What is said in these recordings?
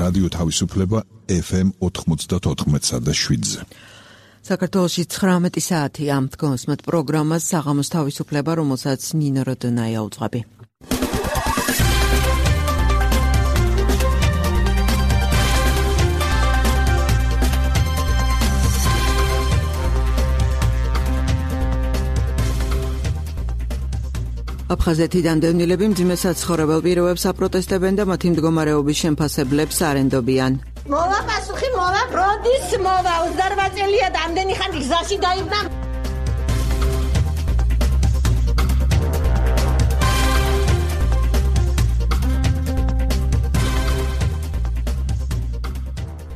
რადიო თავისუფლება FM 94.7-ზე. საქართველოში 19 საათი ამ დგომსმეთ პროგრამას საღამოს თავისუფლება, რომელსაც ნინო როდონაია უძღვები. აფხაზეთიდან დევნილები მძიმე საცხოვრებელ პირობებს აპროტესტებენ და მათი მდგომარეობის შემფასებლებს არენდობიან. მოვა პასუხი, მოვა, როდის მოვა, 28 წელია და ამდენი ხანი გზაში დაიბნა.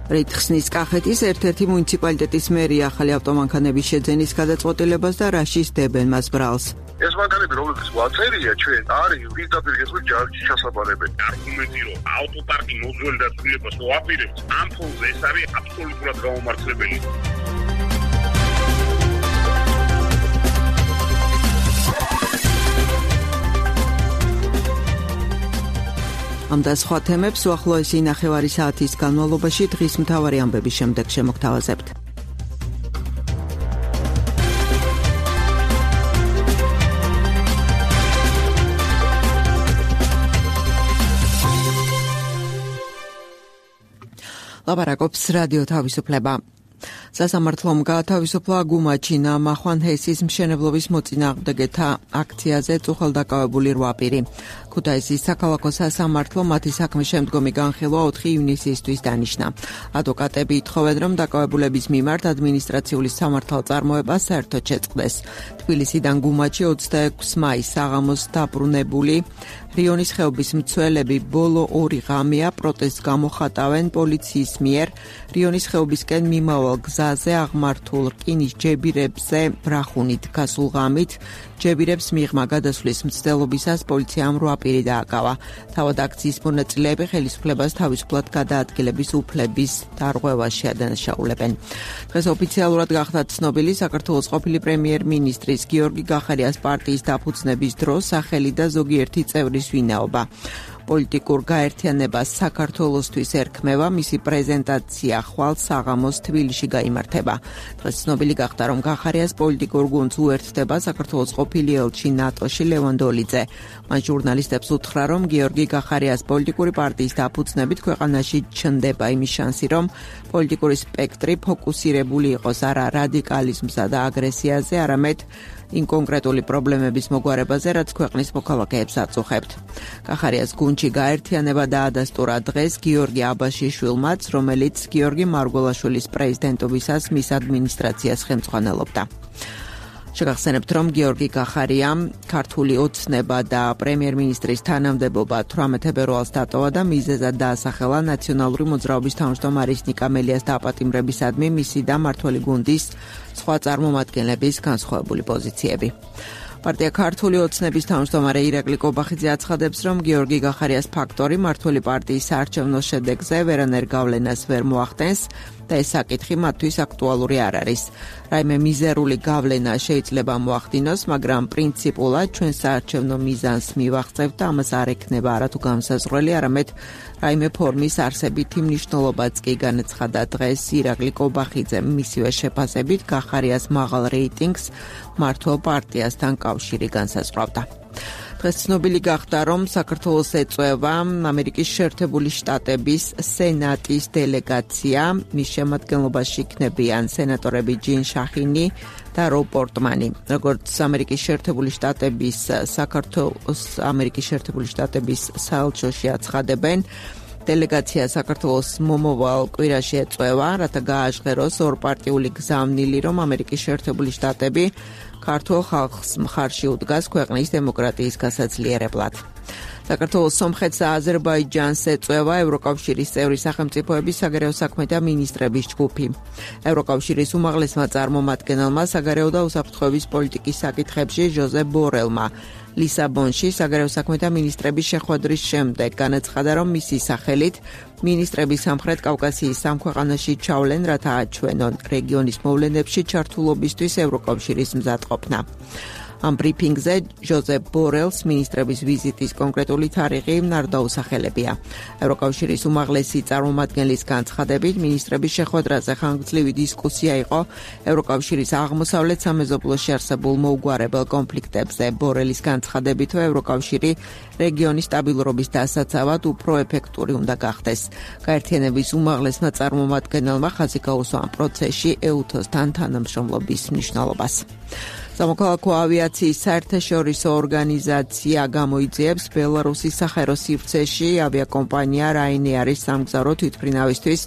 რითხსნის კახეთის ერთ-ერთი მუნიციპალიტეტის მერი ახალი ავტომანქანების შეძენის გადაწყვეტილებას და რა შისდებენ მას ბრალს. ეს მანქანები, რომლებიც ვაწერია ჩვენ, არის პირდაპირ გასული ჯარში ჩასაბარებელი. არგუმენტი, რომ ავტოპარკი მოძველი და ცვლილებას მოაპირებს, ამ ფონზე ეს არის აბსოლუტურად გაუმართლებელი. ამ და სხვა თემებს უახლოესი ნახევარი საათის განმავლობაში დღის მთავარი ამბების შემდეგ შემოგთავაზებთ. ლაპარაკობს რადიო თავისუფლება. სასამართლომ გაათავისუფლა გუმაჩინა მახვანჰესის მშენებლობის მოწინააღმდეგეთა აქციაზე წუხელდაკავებული 8 პირი. ქუთაისის საქალაქო სასამართლო მათი საქმის შემდგომი განხილვა 4 ივნისისთვის დანიშნა. ადვოკატები ითხოვენ, რომ დაკავებულების მიმართ ადმინისტრაციული სამართალწარმოება საერთოდ შეწყდეს. თბილისიდან გუმაჩი 26 მაისს საღამოს დაბრუნებული რიონის ხეობის მცველები ბოლო 2 ღამეა პროტესტს გამოხატავენ პოლიციის მიერ რიონის ხეობისკენ მიმავალ გზაზე აღმართულ რკინის ჯებირებზე ბრახუნით გასულ ღამით ჯებირებს მიღმა გადასვლის მცდელობისას პოლიციამ 8 პირი დააკავა. თავად აქციის მონაწილეები ხელისუფლებას თავისუფლად გადაადგილების უფლების დარღვევაში ადანაშაულებენ. დღეს ოფიციალურად გახდა ცნობილი საქართველოს ყოფილი პრემიერ-მინისტრის გიორგი გახარიას პარტიის დაფუძნების დროს სახელი და ზოგიერთი წევრის ვინაობა. პოლიტიკურ გაერთიანებას საქართველოსთვის ერქმევა, მისი პრეზენტაცია ხვალ საღამოს თბილისში გაიმართება. დღეს ცნობილი გახდა, რომ გახარიას პოლიტიკურ გუნდს უერთდება საქართველოს ყოფილი ელჩი ნატოში ლევან დოლიძე. მან ჟურნალისტებს უთხრა, რომ გიორგი გახარიას პოლიტიკური პარტიის დაფუძნებით ქვეყანაში ჩნდება იმის შანსი, რომ პოლიტიკური სპექტრი ფოკუსირებული იყოს არა რადიკალიზმსა და აგრესიაზე, არამედ იმ კონკრეტული პრობლემების მოგვარებაზე, რაც ქვეყნის მოქალაქეებს აწუხებთ. გახარიას გუნდში გაერთიანება დაადასტურა დღეს გიორგი აბაშიშვილმაც, რომელიც გიორგი მარგველაშვილის პრეზიდენტობისას მის ადმინისტრაციას ხელმძღვანელობდა. შეგახსენებთ, რომ გიორგი გახარიამ ქართული ოცნება და პრემიერ-მინისტრის თანამდებობა 18 ფებრუარს დატოვა და მიზეზად დაასახელა ნაციონალური მოძრაობის თავმჯდომარის ნიკა მელიას დაპატიმრებისადმი მისი და მმართველი გუნდის სხვა წარმომადგენლების განსხვავებული პოზიციები. პარტია ქართული ოცნების თავმჯდომარე ირაკლი კობახიძე აცხადებს, რომ გიორგი გახარიას ფაქტორი მმართველი პარტიის საარჩევნო შედეგზე ვერანაირ გავლენას ვერ მოახდენს და ეს საკითხი მათთვის აქტუალური არ არის. რაიმე მიზერული გავლენა შეიძლება მოახდინოს, მაგრამ პრინციპულად ჩვენ საარჩევნო მიზანს მივაღწევთ და ამას არ ექნება არათუ განსაზღვრელი, არამედ რაიმე ფორმის არსებითი მნიშვნელობაც კი განაცხადა დღეს ირაკლი კობახიძემ მისივე შეფასებით გახარიას მაღალ რეიტინგს მმართველ პარტიასთან კავშირი განსაზღვრავდა. დღეს ცნობილი გახდა, რომ საქართველოს ეწევა ამერიკის შეერთებული შტატების სენატის დელეგაცია. მის შემადგენლობაში იქნებიან სენატორები ჯინ შახინი და რობ პორტმანი. როგორც ამერიკის შეერთებული შტატების საელჩოში აცხადებენ, დელეგაცია საქართველოს მომავალ კვირაში ეწევა, რათა გააჟღეროს ორპარტიული გზავნილი, რომ ამერიკის შეერთებული შტატები ქართულ ხალხს მხარში უდგას ქვეყნის დემოკრატიის გასაძლიერებლად. საქართველოს სომხეთს და აზერბაიჯანს ეწევა ევროკავშირის წევრი სახელმწიფოების საგარეო საქმეთა მინისტრების ჯგუფი. ევროკავშირის უმაღლესმა წარმომადგენელმა საგარეო და უსაფრთხოების პოლიტიკის საკითხებში ჟოზეფ ბორელმა ლისაბონში საგარეო საქმეთა მინისტრების შეხვედრის შემდეგ განაცხადა, რომ მისი სახელით მინისტრები სამხრეთ კავკასიის სამ ქვეყანაში ჩავლენ, რათა აჩვენონ რეგიონის მოვლენებში ჩართულობისთვის ევროკავშირის მზადყოფნა. ამ ბრიფინგზე ჟოზეფ ბორელს მინისტრების ვიზიტის კონკრეტული თარიღი არ დაუსახელებია. ევროკავშირის უმაღლესი წარმომადგენლის განცხადებით, მინისტრების შეხვედრაზე ხანგრძლივი დისკუსია იყო ევროკავშირის აღმოსავლეთ სამეზობლოში არსებულ მოუგვარებელ კონფლიქტებზე. ბორელის განცხადებით, ევროკავშირი რეგიონის სტაბილურობის დასაცავად უფრო ეფექტური უნდა გახდეს. გაერთიანების უმაღლესმა წარმომადგენელმა ხაზი გაუსვა ამ პროცესში EUTOS-თან თანამშრომლობის მნიშვნელობას. სამოქალაქო ავიაციის საერთაშორისო ორგანიზაცია გამოიძიებს ბელარუსის სახაერო სივრცეში ავიაკომპანია Ryanair-ის სამგზავრო თვითმფრინავისთვის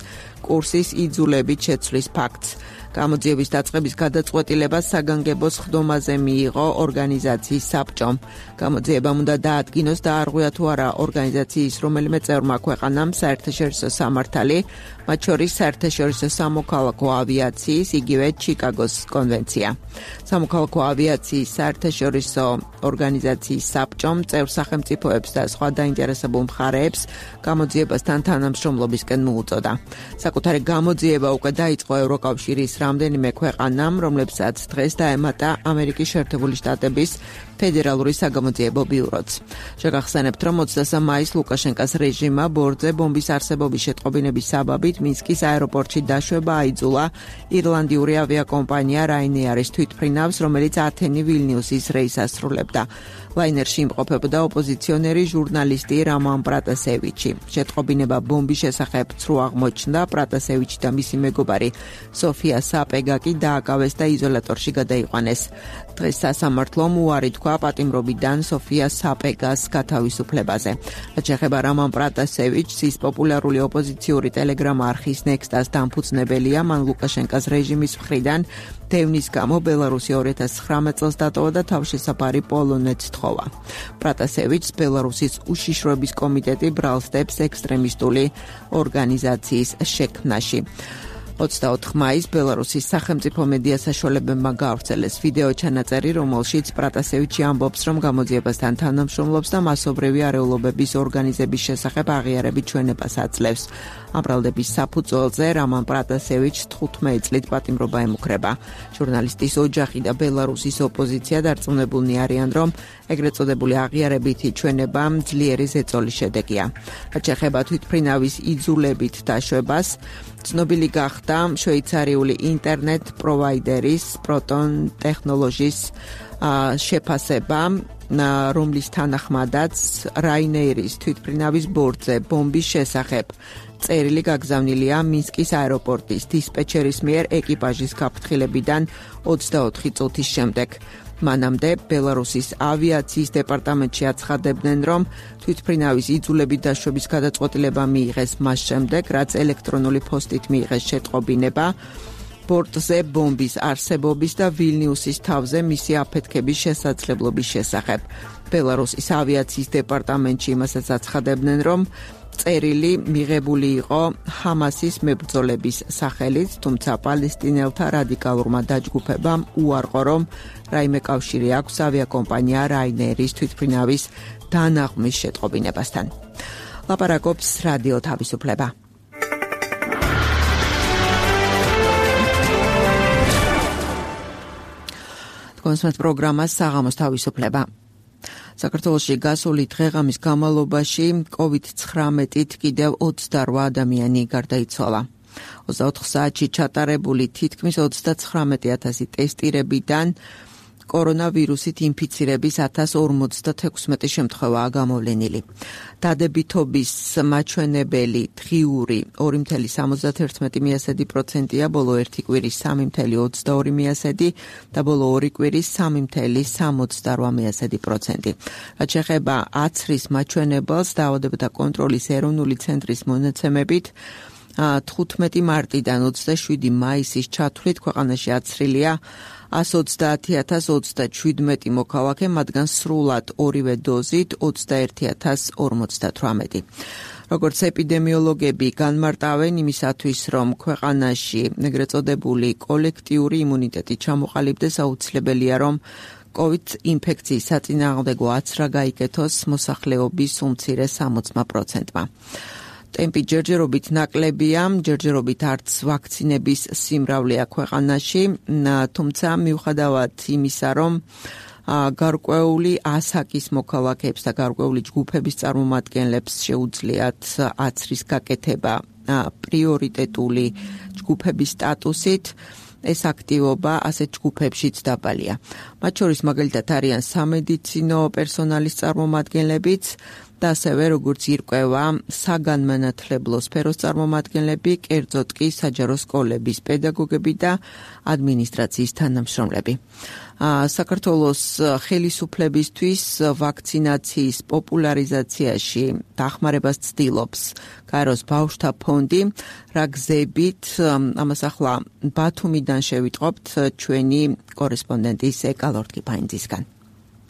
კურსის იძულებით შეცვლის ფაქტს. გამოძიების დაწყების გადაწყვეტილება საგანგებო სხდომაზე მიიღო ორგანიზაციის საბჭომ. გამოძიებამ უნდა დაადგინოს და არღვია თუ არა ორგანიზაციის რომელიმე წევრმა ქვეყანამ საერთაშორისო სამართალი, მათ შორის საერთაშორისო სამოქალაქო ავიაციის, იგივე ჩიკაგოს კონვენცია. სამოქალაქო ავიაციის საერთაშორისო ორგანიზაციის საბჭომ წევრ სახელმწიფოებს და სხვა დაინტერესებულ მხარეებს გამოძიებასთან თანამშრომლობისკენ მოუწოდა. საკუთარი გამოძიება უკვე დაიწყო ევროკავშირის რამდენიმე ქვეყანამ, რომლებსაც დღეს დაემატა ამერიკის შეერთებული შტატების ფედერალური საგამოძიებო ბიუროც. შეგახსენებთ, რომ 23 მაისს ლუკაშენკას რეჟიმმა ბორტზე ბომბის არსებობის შეტყობინების საბაბით მინსკის აეროპორტში დაშვება აიძულა ირლანდიური ავიაკომპანია Ryanair-ის თვითმფრინავს, რომელიც ათენი-ვილნიუსის რეისს ასრულებდა. ლაინერში იმყოფებოდა ოპოზიციონერი ჟურნალისტი რამან პრატასევიჩი. შეტყობინება ბომბის შესახებ ცრუ აღმოჩნდა, პრატასევიჩი და მისი მეგობარი სოფია საპეგა კი დააკავეს და იზოლატორში გადაიყვანეს. დღეს სასამართლომ უარი თქვა პატიმრობიდან სოფია საპეგას გათავისუფლებაზე. რაც შეეხება რამან პრატასევიჩს, ის პოპულარული ოპოზიციური ტელეგრამ არხის Nextas დამფუძნებელია, მან ლუკაშენკას რეჟიმის მხრიდან დევნის გამო ბელარუსი 2019 წელს დატოვა და თავშესაფარი პოლონეთს თხოვა. პრატასევიჩს ბელარუსის უშიშროების კომიტეტი ბრალსდებს ექსტრემისტული ორგანიზაციის შექმნაში. 24 მაისს ბელარუსის სახელმწიფო მედია საშუალებებმა გაავრცელეს ვიდეო ჩანაწერი, რომელშიც პრატასევიჩი ამბობს, რომ გამოძიებასთან თანამშრომლობს და მასობრივი არეულობების ორგანიზების შესახებ აღიარებით ჩვენებას აძლევს. ამ ბრალდების საფუძველზე რამან პრატასევიჩს 15 წლით პატიმრობა ემუქრება. ჟურნალისტის ოჯახი და ბელარუსის ოპოზიცია დარწმუნებულნი არიან, რომ ეგრეთ წოდებული აღიარებითი ჩვენება ძლიერი ზეწოლის შედეგია. რაც შეეხება თვითმფრინავის იძულებით დაშვებას, ცნობილი გახდა შვეიცარიული ინტერნეტ პროვაიდერის Proton Technologies შეფასება, რომლის თანახმადაც Ryanair-ის თვითმფრინავის ბორტზე ბომბის შესახებ წერილი გაგზავნილია მინსკის აეროპორტის დისპეჩერის მიერ ეკიპაჟის გაფრთხილებიდან 24 წუთის შემდეგ. მანამდე ბელარუსის ავიაციის დეპარტამენტში აცხადებდნენ, რომ თვითმფრინავის იძულებით დაშვების გადაწყვეტილება მიიღეს მას შემდეგ, რაც ელექტრონული პოსტით მიიღეს შეტყობინება ბორტზე ბომბის არსებობის და ვილნიუსის თავზე მისი აფეთქების შესაძლებლობის შესახებ. ბელარუსის ავიაციის დეპარტამენტში იმასაც აცხადებდნენ, რომ წერილი მიღებული იყო ჰამასის მებრძოლების სახელით, თუმცა პალესტინელთა რადიკალურმა დაჯგუფებამ უარყო, რომ რაიმე კავშირი აქვს ავიაკომპანია Ryanair-ის თვითმფრინავის დანაღმვის შეტყობინებასთან. ლაპარაკობს რადიო თავისუფლება. კონსმეთ პროგრამას საღამოს თავისუფლება. საქართველოში გასული დღეღამის განმავლობაში COVID-19-ით კიდევ 28 ადამიანი გარდაიცვალა. 24 საათში ჩატარებული თითქმის 39,000 ტესტირებიდან კორონავირუსით ინფიცირების 1056 შემთხვევაა გამოვლენილი. დადებითობის მაჩვენებელი დღიური 2,71%-ია, ბოლო ერთი კვირის 3,22% და ბოლო ორი კვირის 3,68%. რაც შეეხება აცრის მაჩვენებელს, დაავადებათა კონტროლის ეროვნული ცენტრის მონაცემებით 15 მარტიდან 27 მაისის ჩათვლით ქვეყანაში აცრილია 130,037 მოქალაქე, მათგან სრულად ორივე დოზით 21,058. როგორც ეპიდემიოლოგები განმარტავენ იმისათვის, რომ ქვეყანაში ეგრეთ წოდებული კოლექტიური იმუნიტეტი ჩამოყალიბდეს, აუცილებელია, რომ COVID ინფექციის საწინააღმდეგო აცრა გაიკეთოს მოსახლეობის უმცირე 60%-მა. ტემპი ჯერჯერობით ნაკლებია, ჯერჯერობით არც ვაქცინების სიმრავლეა ქვეყანაში, თუმცა მიუხედავად იმისა, რომ გარკვეული ასაკის მოქალაქეებს და გარკვეული ჯგუფების წარმომადგენლებს შეუძლიათ აცრის გაკეთება პრიორიტეტული ჯგუფების სტატუსით. ეს აქტივობა ასეთ ჯგუფებშიც დაბალია. მათ შორის მაგალითად არიან სამედიცინო პერსონალის წარმომადგენლებიც და ასევე როგორც ირკვევა საგანმანათლებლო სფეროს წარმომადგენლები, კერძოდ კი საჯარო სკოლების პედაგოგები და ადმინისტრაციის თანამშრომლები. საქართველოს ხელისუფლებისთვის ვაქცინაციის პოპულარიზაციაში დახმარებას ცდილობს გაეროს ბავშვთა ფონდი, რა გზებით ამას ახლა ბათუმიდან შევიტყობთ ჩვენი კორესპონდენტი ეკა ლორთქიფაინძისგან.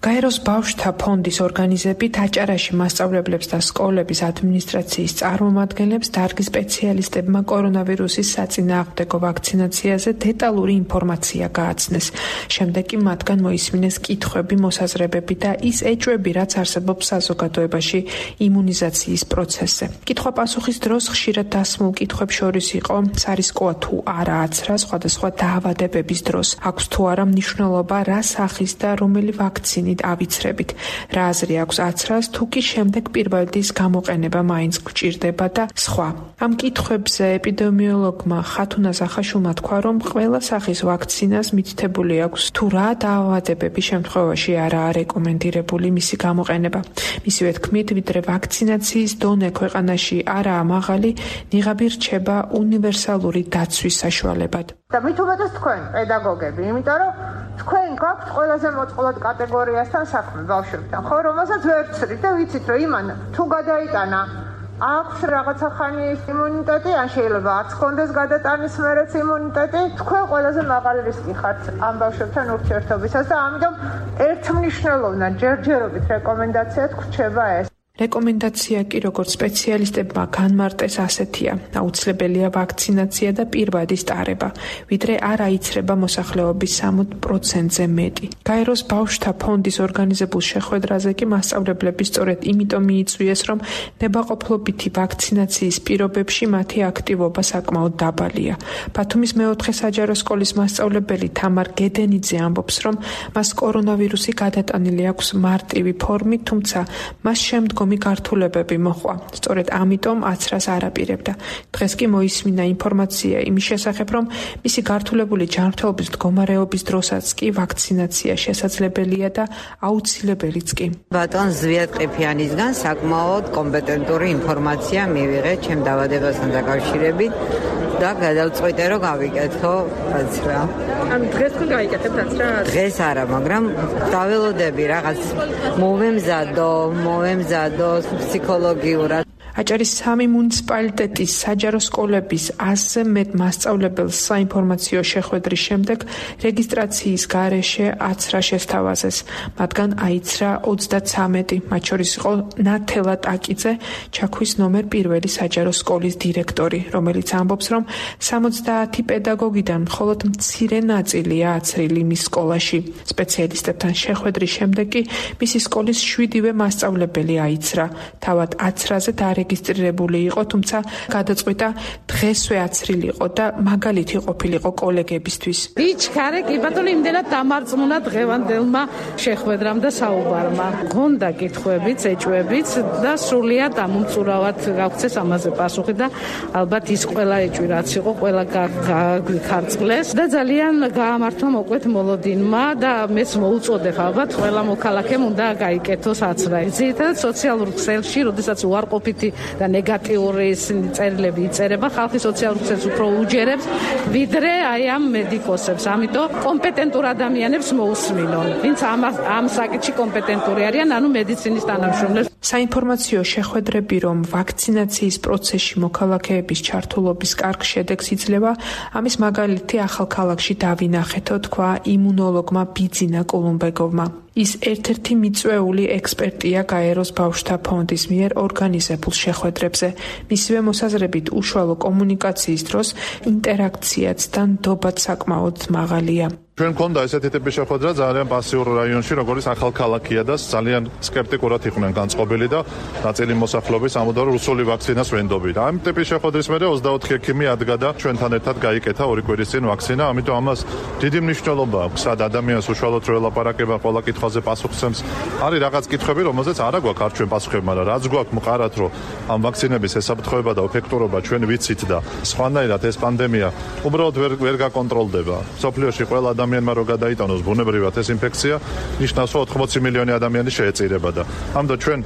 გაეროს ბავშვთა ფონდის ორგანიზებით აჭარაში მასწავლებლებს და სკოლების ადმინისტრაციის წარმომადგენლებს დარგის სპეციალისტებმა კორონავირუსის საწინააღმდეგო ვაქცინაციაზე დეტალური ინფორმაცია გააცნეს. შემდეგ კი მათგან მოისმინეს კითხვები, მოსაზრებები და ის ეჭვები, რაც არსებობს საზოგადოებაში იმუნიზაციის პროცესზე. კითხვა-პასუხის დროს ხშირად დასმულ კითხვებს შორის იყო, სარისკოა თუ არა აცრა სხვადასხვა დაავადებების დროს, აქვს თუ არა მნიშვნელობა რა სახის და რომელი ვაქცინით ავიცრებით, რა აზრი აქვს აცრას, თუ კი შემდეგ პირველადის გამოყენება მაინც გვჭირდება და სხვა. ამ კითხვებზე ეპიდემიოლოგმა ხათუნა ზახაშვილმა თქვა, რომ ყველა სახის ვაქცინას მითითებული აქვს თუ რა დაავადებების შემთხვევაში არაა რეკომენდირებული მისი გამოყენება. მისივე თქმით, ვიდრე ვაქცინაციის დონე ქვეყანაში არაა მაღალი, ნიღაბი რჩება უნივერსალური დაცვის საშუალებად. და მით უმეტეს თქვენ პედაგოგები, იმიტომ რომ თქვენ გაქვთ ყველაზე მოწყვლად კატეგორიასთან საქმე ბავშვებთან, ხო, რომელსაც ვერ ვცრით და ვიცით, რომ იმან თუ გადაიტანა აქვს რაღაცა ხანის იმუნიტეტი, ან შეიძლება არც კონდეს გადატანის მერეც იმუნიტეტი, თქვენ ყველაზე მაღალი რისკი ხართ ამ ბავშვებთან ურთიერთობისას და ამიტომ ერთმნიშვნელოვნად ჯერჯერობით რეკომენდაციად გვრჩება ეს. რეკომენდაცია კი როგორც სპეციალისტებმა განმარტეს ასეთია: აუცილებელია ვაქცინაცია და პირვადის ტარება, ვიდრე არ აიცრება მოსახლეობის 60%-ზე მეტი. გაეროს ბავშვთა ფონდის ორგანიზებულ შეხვედრაზე კი მასწავლებლები სწორედ იმიტომ მიიწვიეს, რომ ნებაყოფლობითი ვაქცინაციის პირობებში მათი აქტივობა საკმაოდ დაბალია. ბათუმის მეოთხე საჯარო სკოლის მასწავლებელი თამარ გედენიძე ამბობს, რომ მას კორონავირუსი გადატანილი აქვს მარტივი ფორმით, თუმცა მას შემდგომ გართულებები მოჰყვა. სწორედ ამიტომ აცრას არ აპირებდა. დღეს კი მოისმინა ინფორმაცია იმის შესახებ, რომ მისი გართულებული ჯანმრთელობის მდგომარეობის დროსაც კი ვაქცინაცია შესაძლებელია და აუცილებელიც კი. ბატონ ზვიად ყიფიანისგან საკმაოდ კომპეტენტური ინფორმაცია მივიღე ჩემ დაავადებასთან დაკავშირებით და გადავწყვიტე, რომ გავიკეთო აცრა. ანუ დღეს თუ გაიკეთებთ აცრა? დღეს არა, მაგრამ დაველოდები რაღაც მოვემზადო ფსიქოლოგიურად. აჭარის 3 მუნიციპალიტეტის საჯარო სკოლების 100-ზე მეტ მასწავლებელს საინფორმაციო შეხვედრის შემდეგ რეგისტრაციის გარეშე აცრა შესთავაზეს. მათგან აიცრა 33, მათ შორის იყო ნათელა ტაკიძე, ჩაქვის ნომერ 1 საჯარო სკოლის დირექტორი, რომელიც ამბობს, რომ 70 პედაგოგიდან მხოლოდ მცირე ნაწილია აცრილი მის სკოლაში. სპეციალისტებთან შეხვედრის შემდეგ კი მისი სკოლის 7-ვე მასწავლებელი აიცრა. თავად აცრაზე რეგისტრირებული იყო, თუმცა გადაწყვიტა დღესვე აცრილიყო და მაგალითი ყოფილიყო კოლეგებისთვის. ვიჩქარე კი ბატონო იმდენად დამარწმუნა დღევანდელმა შეხვედრამ და საუბარმა. გონდა კითხვებიც, ეჭვებიც და სრულიად ამომწურავად გავქცეს ამაზე პასუხი და ალბათ ის ყველა ეჭვი რაც იყო, ყველა გაქარწყლეს და ძალიან გაამართლა მოკლედ მოლოდინმა და მეც მოუწოდებ ალბათ ყველა მოქალაქემ უნდა გაიკეთოს აცრა. ძირითადად სოციალურ ქსელში, როდესაც უარყოფითი და ნეგატიური წერილები იწერება, ხალხი სოციალურ ქსელს უფრო უჯერებს, ვიდრე აი ამ მედიკოსებს. ამიტომ კომპეტენტურ ადამიანებს მოусმინონ, ვინც ამ საკითხში კომპეტენტური არიან, ანუ მედიცინის თანამშრომლებს. საინფორმაციო შეხვედრები, რომ ვაქცინაციის პროცესში მოქალაქეების ჩართულობის კარგ შედეგს იძლევა, ამის მაგალითი ახალქალაქში დავინახეთო, თქვა იმუნოლოგმა ბიძინა კოლუმბეგოვმა. ის ერთ-ერთი მიწვეული ექსპერტია გაეროს ბავშვთა ფონდის მიერ ორგანიზებულ შეხვედრებზე. მისივე მოსაზრებით უშუალო კომუნიკაციის დროს ინტერაქციაც და ნდობაც საკმაოდ მაღალია. ჩვენ გქონდა ესეთი ტიპის შეხვედრა ძალიან პასიურ რაიონში, როგორც ახალქალაქია და ძალიან სკეპტიკურად იყვნენ განწყობილი და ნაწილი მოსახლეობის ამბობდა, რომ რუსული ვაქცინას ვენდობენ. ამ ტიპის შეხვედრის მერე 24 ექიმი ადგა და ჩვენთან ერთად გაიკეთა 2 კვირის წინ ვაქცინა, ამიტომ ამას დიდი მნიშვნელობა აქვს. სად ადამიანს უშუალოდ რო ელაპარაკება, ყველა კითხვაზე პასუხს. არის რაღაც კითხვები, რომელზეც არა გვაქვს არ ჩვენ პასუხები, მაგრამ რაც გვაქვს მყარად, რომ ამ ვაქცინების ესაფრთხოება და ეფექტურობა ჩვენ ვიცით და სხვანაირად ეს პანდემია უბრალოდ ვერ გაკონტროლდება. სოფლიოში ყველა ადამიანმა რო გადაიტანოს ბუნებრივად ეს ინფექცია, ნიშნავს, რომ 80 მილიონი ადამიანი შეეწირება და ამიტომ ჩვენ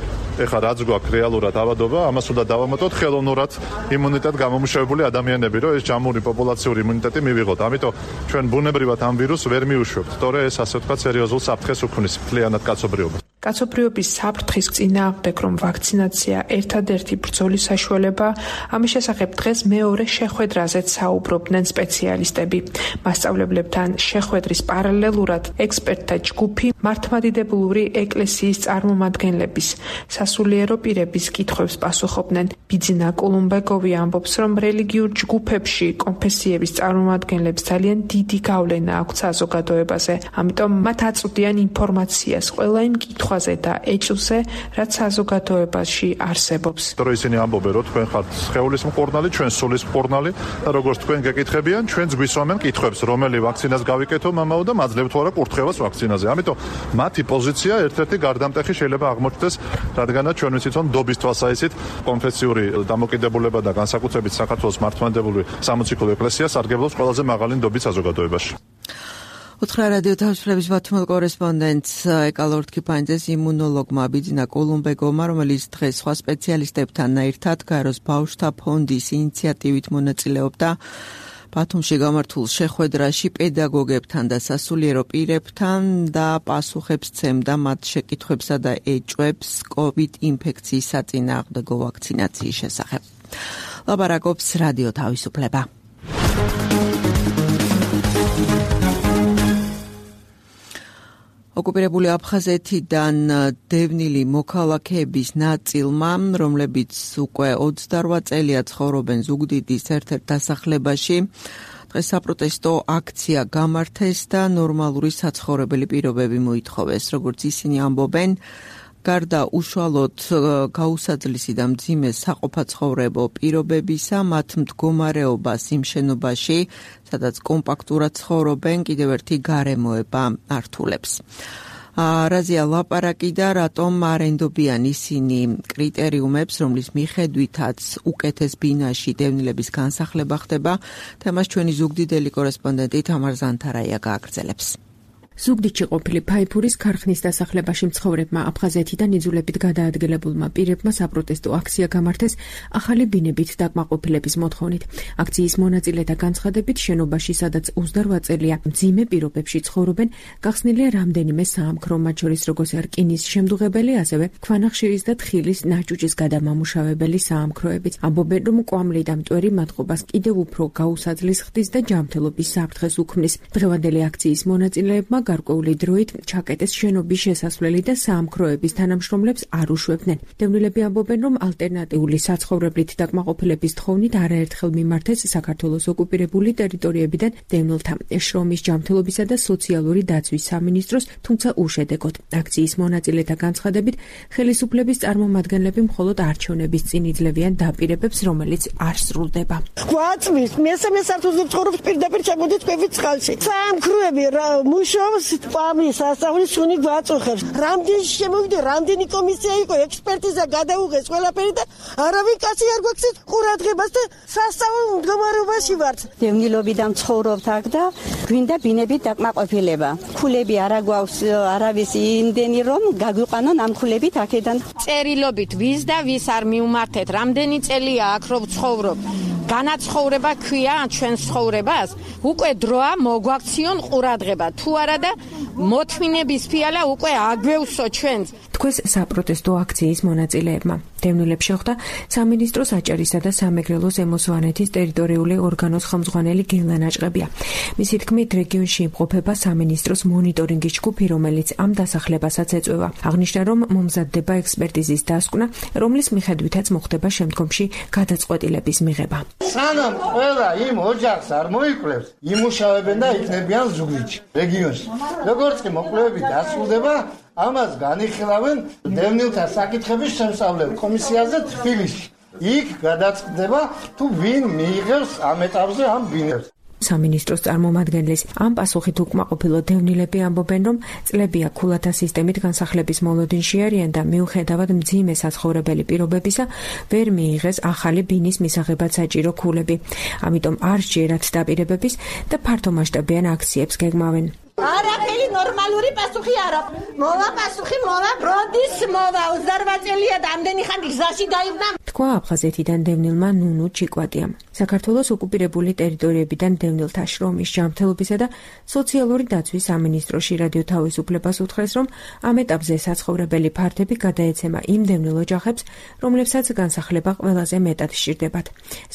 ეხლა რაც გვაქვს რეალურად ავადობა, ამას უნდა დავამატოთ ხელოვნურად იმუნიტეტ გამომუშავებული ადამიანები, რომ ეს ჯამური პოპულაციური იმუნიტეტი მივიღოთ. ამიტომ ჩვენ ბუნებრივად ამ ვირუსს ვერ მივუშვებთ, თორე ეს ასე ვთქვათ სერიოზულ საფრთხეს უქმნის მთლიანად კაცობრიობას. კაცობრიობის საფრთხის წინააღმდეგ რომ ვაქცინაცია ერთადერთი ბრძოლის საშუალებაა, ამის შესახებ დღეს მეორე შეხვედრაზეც საუბრობდნენ სპეციალისტები. მასწავლებლებთან შეხვედრის პარალელურად ექსპერტთა ჯგუფი მართლმადიდებლური ეკლესიის წარმომადგენლების სასულიერო პირების კითხვებს პასუხობდნენ. ბიძინა კულუმბეკოვი ამბობს, რომ რელიგიურ ჯგუფებში კონფესიების წარმომადგენლებს ძალიან დიდი გავლენა აქვთ საზოგადოებაზე, ამიტომ მათ აწვდიან ინფორმაციას ყველა იმ კითხვაზე და ეჭვზე, რაც საზოგადოებაში არსებობს. თორე ისინი ამბობენ, რომ თქვენ ხართ სხეულის მკურნალი, ჩვენ სულის მკურნალი და როგორც თქვენ გეკითხებიან, ჩვენც გვისვამენ კითხვებს, რომელი ვაქცინას გავიკეთო მამაო და მაძლევთ თუ არა კურთხევას ვაქცინაზე. ამიტომ მათი პოზიცია ერთ-ერთი გარდამტეხი შეიძლება აღმოჩნდეს, რადგანაც ჩვენ ვიცით, რომ დობის თვალსაჩინით კონფესიური დამოკიდებულება და განსაკუთრებით საქართველოს მართლმადიდებლური სამოციქულო ეკლესია სარგებლობს ყველაზე მაღალი ნდობით საზოგადოებაში. უთხრა რადიო თავისუფლების ბათუმელ კორესპონდენტს ეკალორთქიფანიძეს იმუნოლოგმა ბიძინა კულუმბეკოვმა, რომელიც დღეს სხვა სპეციალისტებთან ერთად გაეროს ბავშვთა ფონდის ინიციატივით მონაწილეობდა ბათუმში გამართულ შეხვედრაში პედაგოგებთან და სასულიერო პირებთან და პასუხებს ცემდა მათ შეკითხვებსა და ეჭვებს COVID ინფექციის საწინააღმდეგო ვაქცინაციის შესახებ. ლაპარაკობს რადიო თავისუფლება. ოკუპირებული აფხაზეთიდან დევნილი მოქალაქეების ნაწილმა, რომლებიც უკვე 28 წელია ცხოვრობენ ზუგდიდის ერთ-ერთ დასახლებაში, დღეს საპროტესტო აქცია გამართეს და ნორმალური საცხოვრებელი პირობები მოითხოვეს. როგორც ისინი ამბობენ, გარდა უშუალოდ გაუსაძლისი და მძიმე საყოფაცხოვრებო პირობებისა, მათ მდგომარეობას იმ შენობაში, სადაც კომპაქტურად ცხოვრობენ, კიდევ ერთი გარემოება ართულებს. რაზეა ლაპარაკი და რატომ არ ენდობიან ისინი კრიტერიუმებს, რომლის მიხედვითაც უკეთეს ბინაში დევნილების განსახლება ხდება, თემას ჩვენი ზუგდიდელი კორესპონდენტი თამარ ზანთარაია გააგრძელებს. ზუგდიდში ყოფილი ფაიფურის ქარხნის დასახლებაში მცხოვრებმა აფხაზეთიდან იძულებით გადაადგილებულმა პირებმა საპროტესტო აქცია გამართეს ახალი ბინებით დაკმაყოფილების მოთხოვნით. აქციის მონაწილეთა განცხადებით, შენობაში, სადაც 28 წელია მძიმე პირობებში ცხოვრობენ, გახსნილია რამდენიმე საამქრო, მათ შორის როგორც რკინის შემდუღებელი, ასევე ქვანახშირის და თხილის ნაჭუჭის გადამამუშავებელი საამქროებიც. ამბობენ, რომ კვამლი და მტვერი მათყობას კიდევ უფრო გაუსაძლის ხდის და ჯანმრთელობის საფრთხეს უქმნის. დღევანდელი აქციის მონაწილეებმა გარკვეული დროით ჩაკეტეს შენობის შესასვლელი და საამქროების თანამშრომლებს არ უშვებდნენ. დევნილები ამბობენ, რომ ალტერნატიული საცხოვრებლით დაკმაყოფილების თხოვნით არაერთხელ მიმართეს საქართველოს ოკუპირებული ტერიტორიებიდან დევნილთა შრომის, ჯანმრთელობისა და სოციალური დაცვის სამინისტროს, თუმცა უშედეგოდ. აქციის მონაწილეთა განცხადებით, ხელისუფლების წარმომადგენლები მხოლოდ არჩევნების წინ იძლევიან დაპირებებს, რომელიც არ სრულდება. გვაწვის მესამე სართულზე ცხოვრობს პირდაპირ ჩამოდით კვების წყალში. საამქროები მუშაობს პამის სასწავლის შუნი გვაწუხებს. რამდენი შემოვიდა, რამდენი კომისია იყო, ექსპერტიზა გადაუღეს ყველაფერი და არავინ კაცი არ გვაქვს ყურადღებას და სასწავლო მდგომარეობაში ვართ. დევნილობიდან ცხოვრობთ აქ და გვინდა ბინებით დაკმაყოფილება. ქულები არა გვაქვს არავის იმდენი რომ გაგვიყვანონ ამ ქულებით აქედან. წერილობით ვის და ვის არ მიუმართეთ, რამდენი წელია აქ რომ ცხოვრობ. განაცხოვრება ქვია ჩვენს ცხოვრებას, უკვე დროა მოგვაქციონ ყურადღება. თუ არა და მოთმინების ფიალა უკვე აგვევსო ჩვენს. თქოს საპროტესტო აქციის მონაწილეებმა. დევნილებს შეხვდა სამინისტროს აჭარისა და სამეგრელოს ზემო-სვანეთის ტერიტორიული ორგანოს ხელმძღვანელი გელა ნაჭყებია. მისი თქმით, რეგიონში იმყოფება სამინისტროს მონიტორინგის ჯგუფი, რომელიც ამ დასახლებასაც ეწევა. აღნიშნა, რომ მომზადდება ექსპერტიზის დასკვნა, რომლის მიხედვითაც მოხდება შემდგომში გადაწყვეტილების მიღება. სანამ ყველა იმ ოჯახს არ მოიკლებს, იმუშავებენ და იქნებიან ზუგდიდში, რეგიონში. როგორც კი მოკვლევები დასრულდება, ამას განიხილავენ დევნილთა საკითხების შემსწავლელ კომისიაზე თბილისში. იქ გადაწყდება თუ ვინ მიიღებს ამ ეტაპზე ამ ბინებს. სამინისტროს წარმომადგენლის ამ პასუხით უკმაყოფილო დევნილები ამბობენ, რომ წლებია ქულათა სისტემით განსახლების მოლოდინში არიან და მიუხედავად მძიმე საცხოვრებელი პირობებისა ვერ მიიღეს ახალი ბინის მისაღებად საჭირო ქულები. ამიტომ არ სჯერათ დაპირებების და ფართომასშტაბიან აქციებს გეგმავენ. არაფერი ნორმალური პასუხი არ აქვს. მოვა პასუხი, მოვა ბრონდის, მოვა 28 წელია და ამდენი ხანი გზაში დაიბნა. თქვა აფხაზეთიდან დევნილმა ნუნუ ჩიკვატიამ. საქართველოს ოკუპირებული ტერიტორიებიდან დევნილთა შრომის ჯანმრთელობისა და სოციალური დაცვის სამინისტროში რადიო თავისუფლებას უთხრეს, რომ ამ ეტაპზე საცხოვრებელი ფართები გადაეცემა იმ დევნილ ოჯახებს, რომლებსაც განსახლება ყველაზე მეტად სჭირდებათ.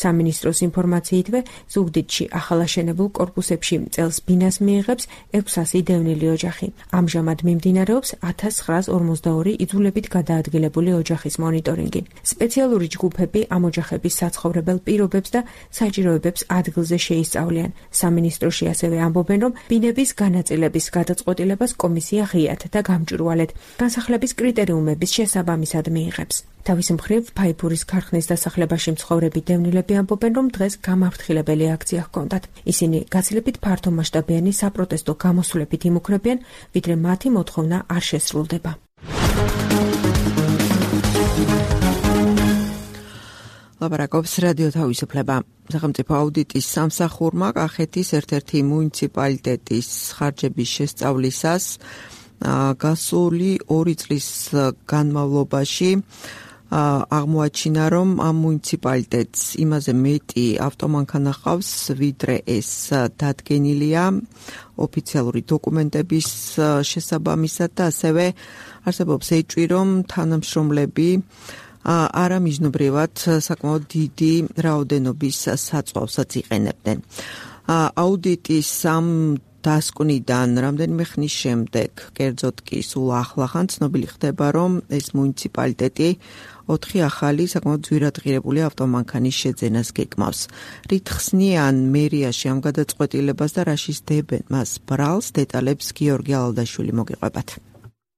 სამინისტროს ინფორმაციითვე ზუგდიდში ახალაშენებულ კორპუსებში წელს ბინას მიიღებს 600 დევნილი ოჯახი. ამჟამად მიმდინარეობს 1942 იძულებით გადაადგილებული ოჯახის მონიტორინგი. სპეციალური ჯგუფები ამ ოჯახების საცხოვრებელ პირობებს და საჭიროებებს ადგილზე შეისწავლიან. სამინისტროში ასევე ამბობენ, რომ ბინების განაწილების გადაწყვეტილებას კომისია ღიად და გამჭვირვალედ განსახლების კრიტერიუმების შესაბამისად მიიღებს. თავის მხრივ ფაიფურის ქარხნის დასახლებაში მცხოვრები დევნილები ამბობენ, რომ დღეს გამაფრთხილებელი აქცია ჰქონდათ. ისინი გაცილებით ფართომასშტაბიანი საპროტესტო გამოსვლებით იმუქრებიან, ვიდრე მათი მოთხოვნა არ შესრულდება. ლაპარაკობს რადიო თავისუფლება. სახელმწიფო აუდიტის სამსახურმა კახეთის ერთ-ერთი მუნიციპალიტეტის ხარჯების შესწავლისას გასული 2 წლის განმავლობაში აღმოაჩინა, რომ ამ მუნიციპალიტეტს იმაზე მეტი ავტომანქანა ჰყავს, ვიდრე ეს დადგენილია ოფიციალური დოკუმენტების შესაბამისად და ასევე არსებობს ეჭვი, რომ თანამშრომლები არამიზნობრივად საკმაოდ დიდი რაოდენობის საწვავსაც იყენებდნენ. აუდიტის ამ დასკვნიდან რამდენიმე ხნის შემდეგ, კერძოდ კი სულ ახლახან ცნობილი ხდება, რომ ეს მუნიციპალიტეტი 4 ახალი საკმაოდ ძვირადღირებული ავტომანქანის შეძენას გეგმავს. რით ხსნიან მერიაში ამ გადაწყვეტილებას და რა შისდებენ მას ბრალს, დეტალებს გიორგი ალალდაშვილი მოგიყვებათ.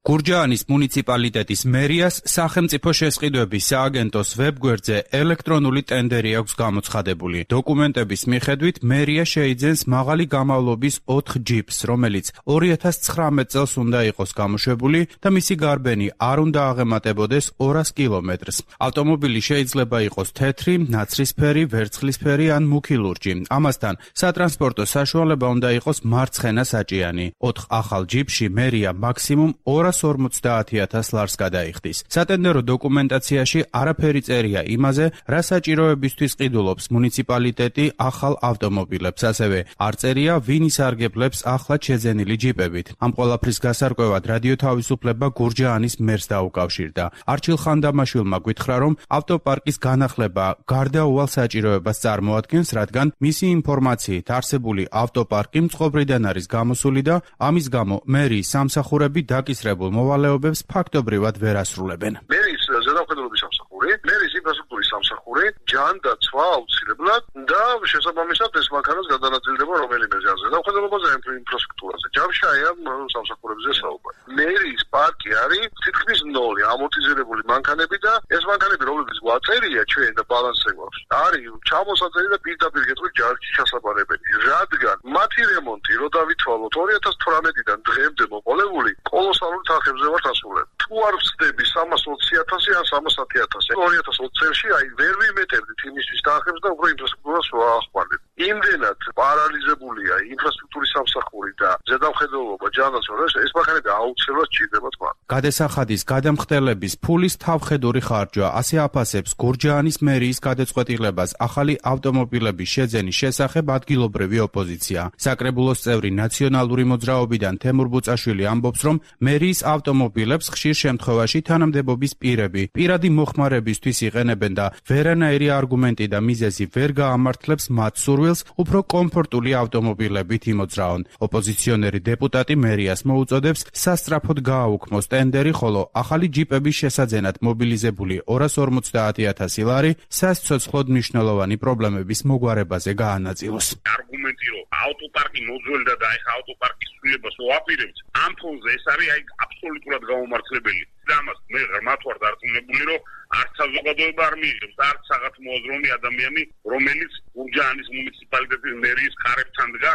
გურჯაანის მუნიციპალიტეტის მერიას სახელმწიფო შესყიდვების სააგენტოს ვებგვერდზე ელექტრონული ტენდერი აქვს გამოცხადებული. დოკუმენტების მიხედვით მერია შეიძენს მაღალი გამავლობის 4 ჯიპს, რომელიც 2019 წელს უნდა იყოს გამოშვებული და მისი გარბენი არ უნდა აღემატებოდეს 200 კილომეტრს. ავტომობილი შეიძლება იყოს თეთრი, ნაცრისფერი, ვერცხლისფერი ან მუქი ლურჯი. ამასთან სატრანსპორტო საშუალება უნდა იყოს მარცხენა საჭიანი. 4 ახალ ჯიპში მერია მაქსიმუმ 250,000 ლარს გადაიხდის. სატენდერო დოკუმენტაციაში არაფერი წერია იმაზე, რა საჭიროებისთვის ყიდულობს მუნიციპალიტეტი ახალ ავტომობილებს, ასევე არ წერია, ვინ ისარგებლებს ახლად შეძენილი ჯიპებით. ამ ყველაფრის გასარკვევად რადიო თავისუფლება გურჯაანის მერს დაუკავშირდა. არჩილ ხანდამაშვილმა გითხრა, რომ ავტოპარკის განახლება გარდაუვალ საჭიროებას წარმოადგენს, რადგან მისი ინფორმაციით არსებული ავტოპარკი მწყობრიდან არის გამოსული და ამის გამო მერიის სამსახურები დაკისრებულ მოვალეობებს ფაქტობრივად ვერ ასრულებენ. მერის ზედამხედველობის სამსახური, მერის ინფრასტრუქტურის სამსახური, ჯანდაცვა აუცილებლად და შესაბამისად ეს მანქანას გადანაწილდება რომელიმე ზედამხედველობაზე, ინფრასტრუქტურაზე. ჯამშაია სამსახურებზე საუბარი. მერის პარკი არის თითქმის 0 ამორტიზირებული მანქანები და ეს მანქანები, რომლებიც გვაწერია ჩვენ და ბალანსზე გვაქვს, არის ჩამოსაწერი და პირდაპირ გეტყვით ჯარჯი ჩასაბარებელი. რადგან მათი რემონტი, რო დავითვალოთ 2018-დან დღემდე მოყოლებული, კოლოსალური თანხებზე ვართ ასულები. თუ არ ვწდები 320,000 ან 310,000, 2020 წელში ვერ ვიმეტებდით იმისთვის თანხებს და უფრო ინფრასტრუქტურას ვაახმარებ. იმდენად პარალიზებულია ინფრასტრუქტურის სამსახური და ზედამხედველობა ჯანდაცვა, ეს მანქანები აუცილებლად სჭირდება თქვა. გადასახადის გადამხდელების ფულის თავხედური ხარჯვა ასე აფასებს გურჯაანის მერიის გადაწყვეტილებას ახალი ავტომობილების შეძენის შესახებ ადგილობრივი ოპოზიცია. საკრებულოს წევრი ნაციონალური მოძრაობიდან თემურ ბუწაშვილი ამბობს, რომ მერიის ავტომობილებს ხშირ შემთხვევაში თანამდებობის პირები პირადი მოხმარებისთვის იყენებენ და ვერანაირი არგუმენტი და მიზეზი ვერ გაამართლებს მათ სურვილს უფრო კომფორტული ავტომობილებით იმოძრაონ. ოპოზიციონერი დეპუტატი მერიას მოუწოდებს სასწრაფოდ გააუქმოს ტენდერი, ხოლო ახალი ჯიპების შესაძენად მობილიზებული 250,000 ლარი სასიცოცხლოდ მნიშვნელოვანი პრობლემების მოგვარებაზე გაანაწილოს. არგუმენტი რომ ავტოპარკი მოძველდა და ეხა ავტოპარკის სრულებას ვაპირებთ, ამ ფონზე ეს არის აბსოლუტურად გაუმართლებელი. და ამას მე ღრმად ვარ დარწმუნებული, რომ არც საზოგადოება არ მიიღებს, არც რაღაც მოაზროვნე ადამიანი, რომელიც გურჯაანის მუნიციპალიტეტის მერიის კარებთან დგა,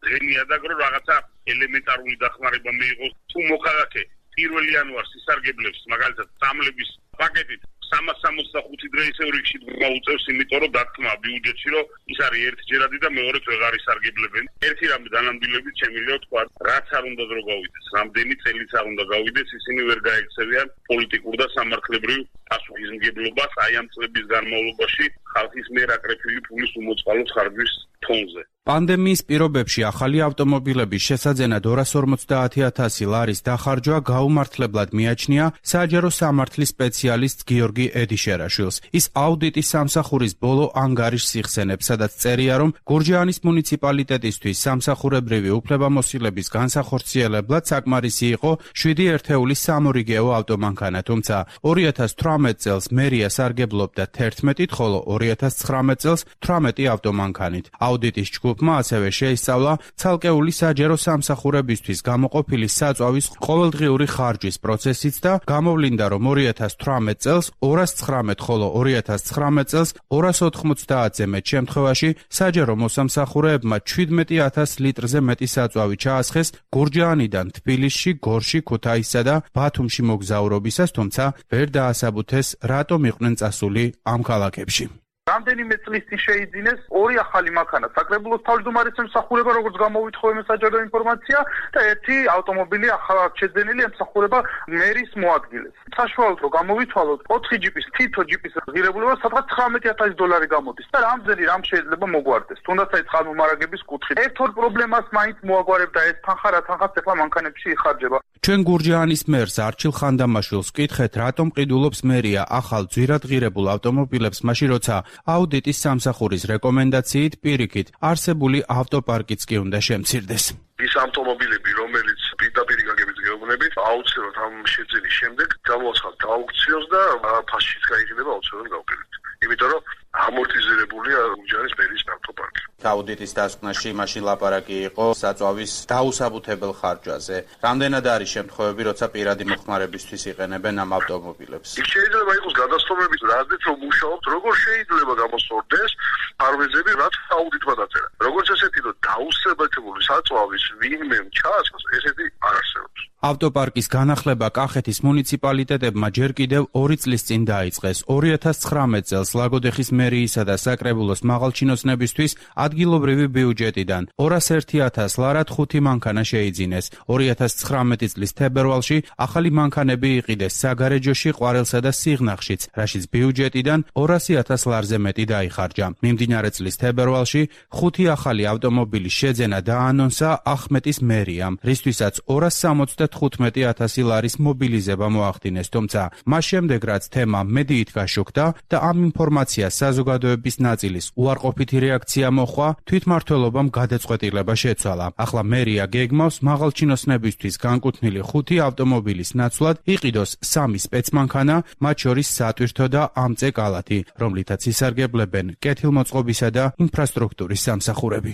ღენიადაგ რომ რაღაცა ელემენტარული დახმარება მიიღოს. თუ მოქალაქე 1 იანვარს ისარგებლებს მაგალითად სამლების პაკეტით 365 დღე ისევ რიგში მოუწევს, იმიტომ რომ დათქმა ბიუჯეტში, რომ ის არის ერთჯერადი და მეორედ ვეღარ ისარგებლებენ. ერთი რამე დანამდვილებით შემიძლია თქვა, რაც არ უნდა დრო გავიდეს, რამდენი წელიც არ უნდა გავიდეს, ისინი ვერ გაექცევიან პოლიტიკურ და სამართლებრივ პასუხისმგებლობას აი ამ წლების განმავლობაში ხალხის მიერ აკრეფილი ფულის უმოწყალოდ ხარჯვის ფონზე. პანდემიის პირობებში ახალი ავტომობილების შესაძენად 250,000 ლარის დახარჯვა გაუმართლებლად მიაჩნია საჯარო სამართლის სპეციალისტ გიორგი ედიშერაშვილს. ის აუდიტის სამსახურის ბოლო ანგარიშს იხსენებს, სადაც წერია, რომ გურჯაანის მუნიციპალიტეტისთვის სამსახურებრივი უფლებამოსილების განსახორციელებლად საკმარისი იყო 7 ერთეულის სამორიგეო ავტომანქანა, თუმცა 2018 წელს მერია სარგებლობდა 11-ით, ხოლო 2019 წელს 18 ავტომანქანით. აუდიტის ჯგუფმა ასევე შეისწავლა ცალკეული საჯარო სამსახურებისთვის გამოყოფილი საწვავის ყოველდღიური ხარჯვის პროცესიც და გამოვლინდა, რომ 2018 წელს 219, ხოლო 2019 წელს 290-ზე მეტ შემთხვევაში საჯარო მოსამსახურეებმა 17,000 litrზე მეტი საწვავი ჩაასხეს გურჯაანიდან თბილისში, გორში, ქუთაისსა და ბათუმში მოგზაურობისას, თუმცა ვერ დაასაბუთეს, რატომ იყვნენ წასული ამ ქალაქებში. რამდენიმე წლის წინ შეიძინეს 2 ახალი მანქანა საკრებულოს თავმჯდომარის ემსახურება, როგორც გამოვითხოვე საჯარო ინფორმაცია და 1 ავტომობილი ახალად შეძენილი ემსახურება მერის მოადგილეს. საშუალოდ რომ გამოვითვალოთ 4 ჯიპის, თითო ჯიპის ღირებულება სადღაც $19,000 გამოდის და რამდენი რამ შეიძლება მოგვარდეს. თუნდაც აი წყალმომარაგების კუთხით. ერთ-ორ პრობლემას მაინც მოაგვარებდა ეს თანხა, რა თანხაც ახლა მანქანებში იხარჯება. ჩვენ გურჯაანის მერს არჩილ ხანდამაშვილს ვკითხეთ, რატომ ყიდულობს მერია ახალ ძვირადღირებულ ავტომობილებს, მაშინ როცა აუდიტის სამსახურის რეკომენდაციით პირიქით არსებული ავტოპარკიც კი უნდა შემცირდეს. ის ავტომობილები, რომელიც პირდაპირ გაგებით გეუბნებით, აუცილებლად ამ შეძენის შემდეგ გამოაცხადოთ აუქციოს და ფასშიც გაიყიდება აუცილებლად გავყიდეთ. იმიტომ რომ ამორტიზირებულია გურჯაანის მერის ავტოპარკი. აუდიტის დასკვნაში მაშინ ლაპარაკი იყო საწვავის დაუსაბუთებელ ხარჯვაზე. რამდენად არის შემთხვევები, როცა პირადი მოხმარებისთვის იყენებენ ამ ავტომობილებს? იქ შეიძლება იყოს გადასტომებით, რაზეც რომ მუშაობთ, როგორ შეიძლება გამოსწორდეს ფარვეზები, რაც აუდიტმა დაწერა. როგორც ესეთი, რომ დაუსაბუთებელი საწვავის ვინმე ჩაასხოს, ესეთი არ არსებობს. ავტოპარკის განახლება კახეთის მუნიციპალიტეტებმა ჯერ კიდევ 2 წლის წინ დაიწყეს. 2019 წელს ლაგოდეხის მერიისა და საკრებულოს მაღალჩინოსნებისთვის ადგილობრივი ბიუჯეტიდან 201,000 ლარად 5 მანქანა შეიძინეს. 2019 წლის თებერვალში ახალი მანქანები იყიდეს საგარეჯოში, ყვარელსა და სიღნაღშიც, რაშიც ბიუჯეტიდან 200,000 ლარზე მეტი დაიხარჯა. მიმდინარე წლის თებერვალში 5 ახალი ავტომობილის შეძენა დაანონსა ახმეტის მერიამ, რისთვისაც 275,000 ლარის მობილიზება მოახდინეს, თუმცა მას შემდეგ რაც თემა მედიით გაშუქდა და ამ ინფორმაციას საზოგადოების ნაწილის უარყოფითი რეაქცია მოხვა, თვითმმართველობამ გადაწყვეტილება შეცვალა. ახლა მერია გეგმავს მაღალჩინოსნებისთვის განკუთვნილი 5 ავტომობილის ნაცვლად იყიდოს 3 სპეცმანქანა, მათ შორის სატვირთო და ამწე კალათი, რომლითაც ისარგებლებენ კეთილმოწყობისა და ინფრასტრუქტურის სამსახურები.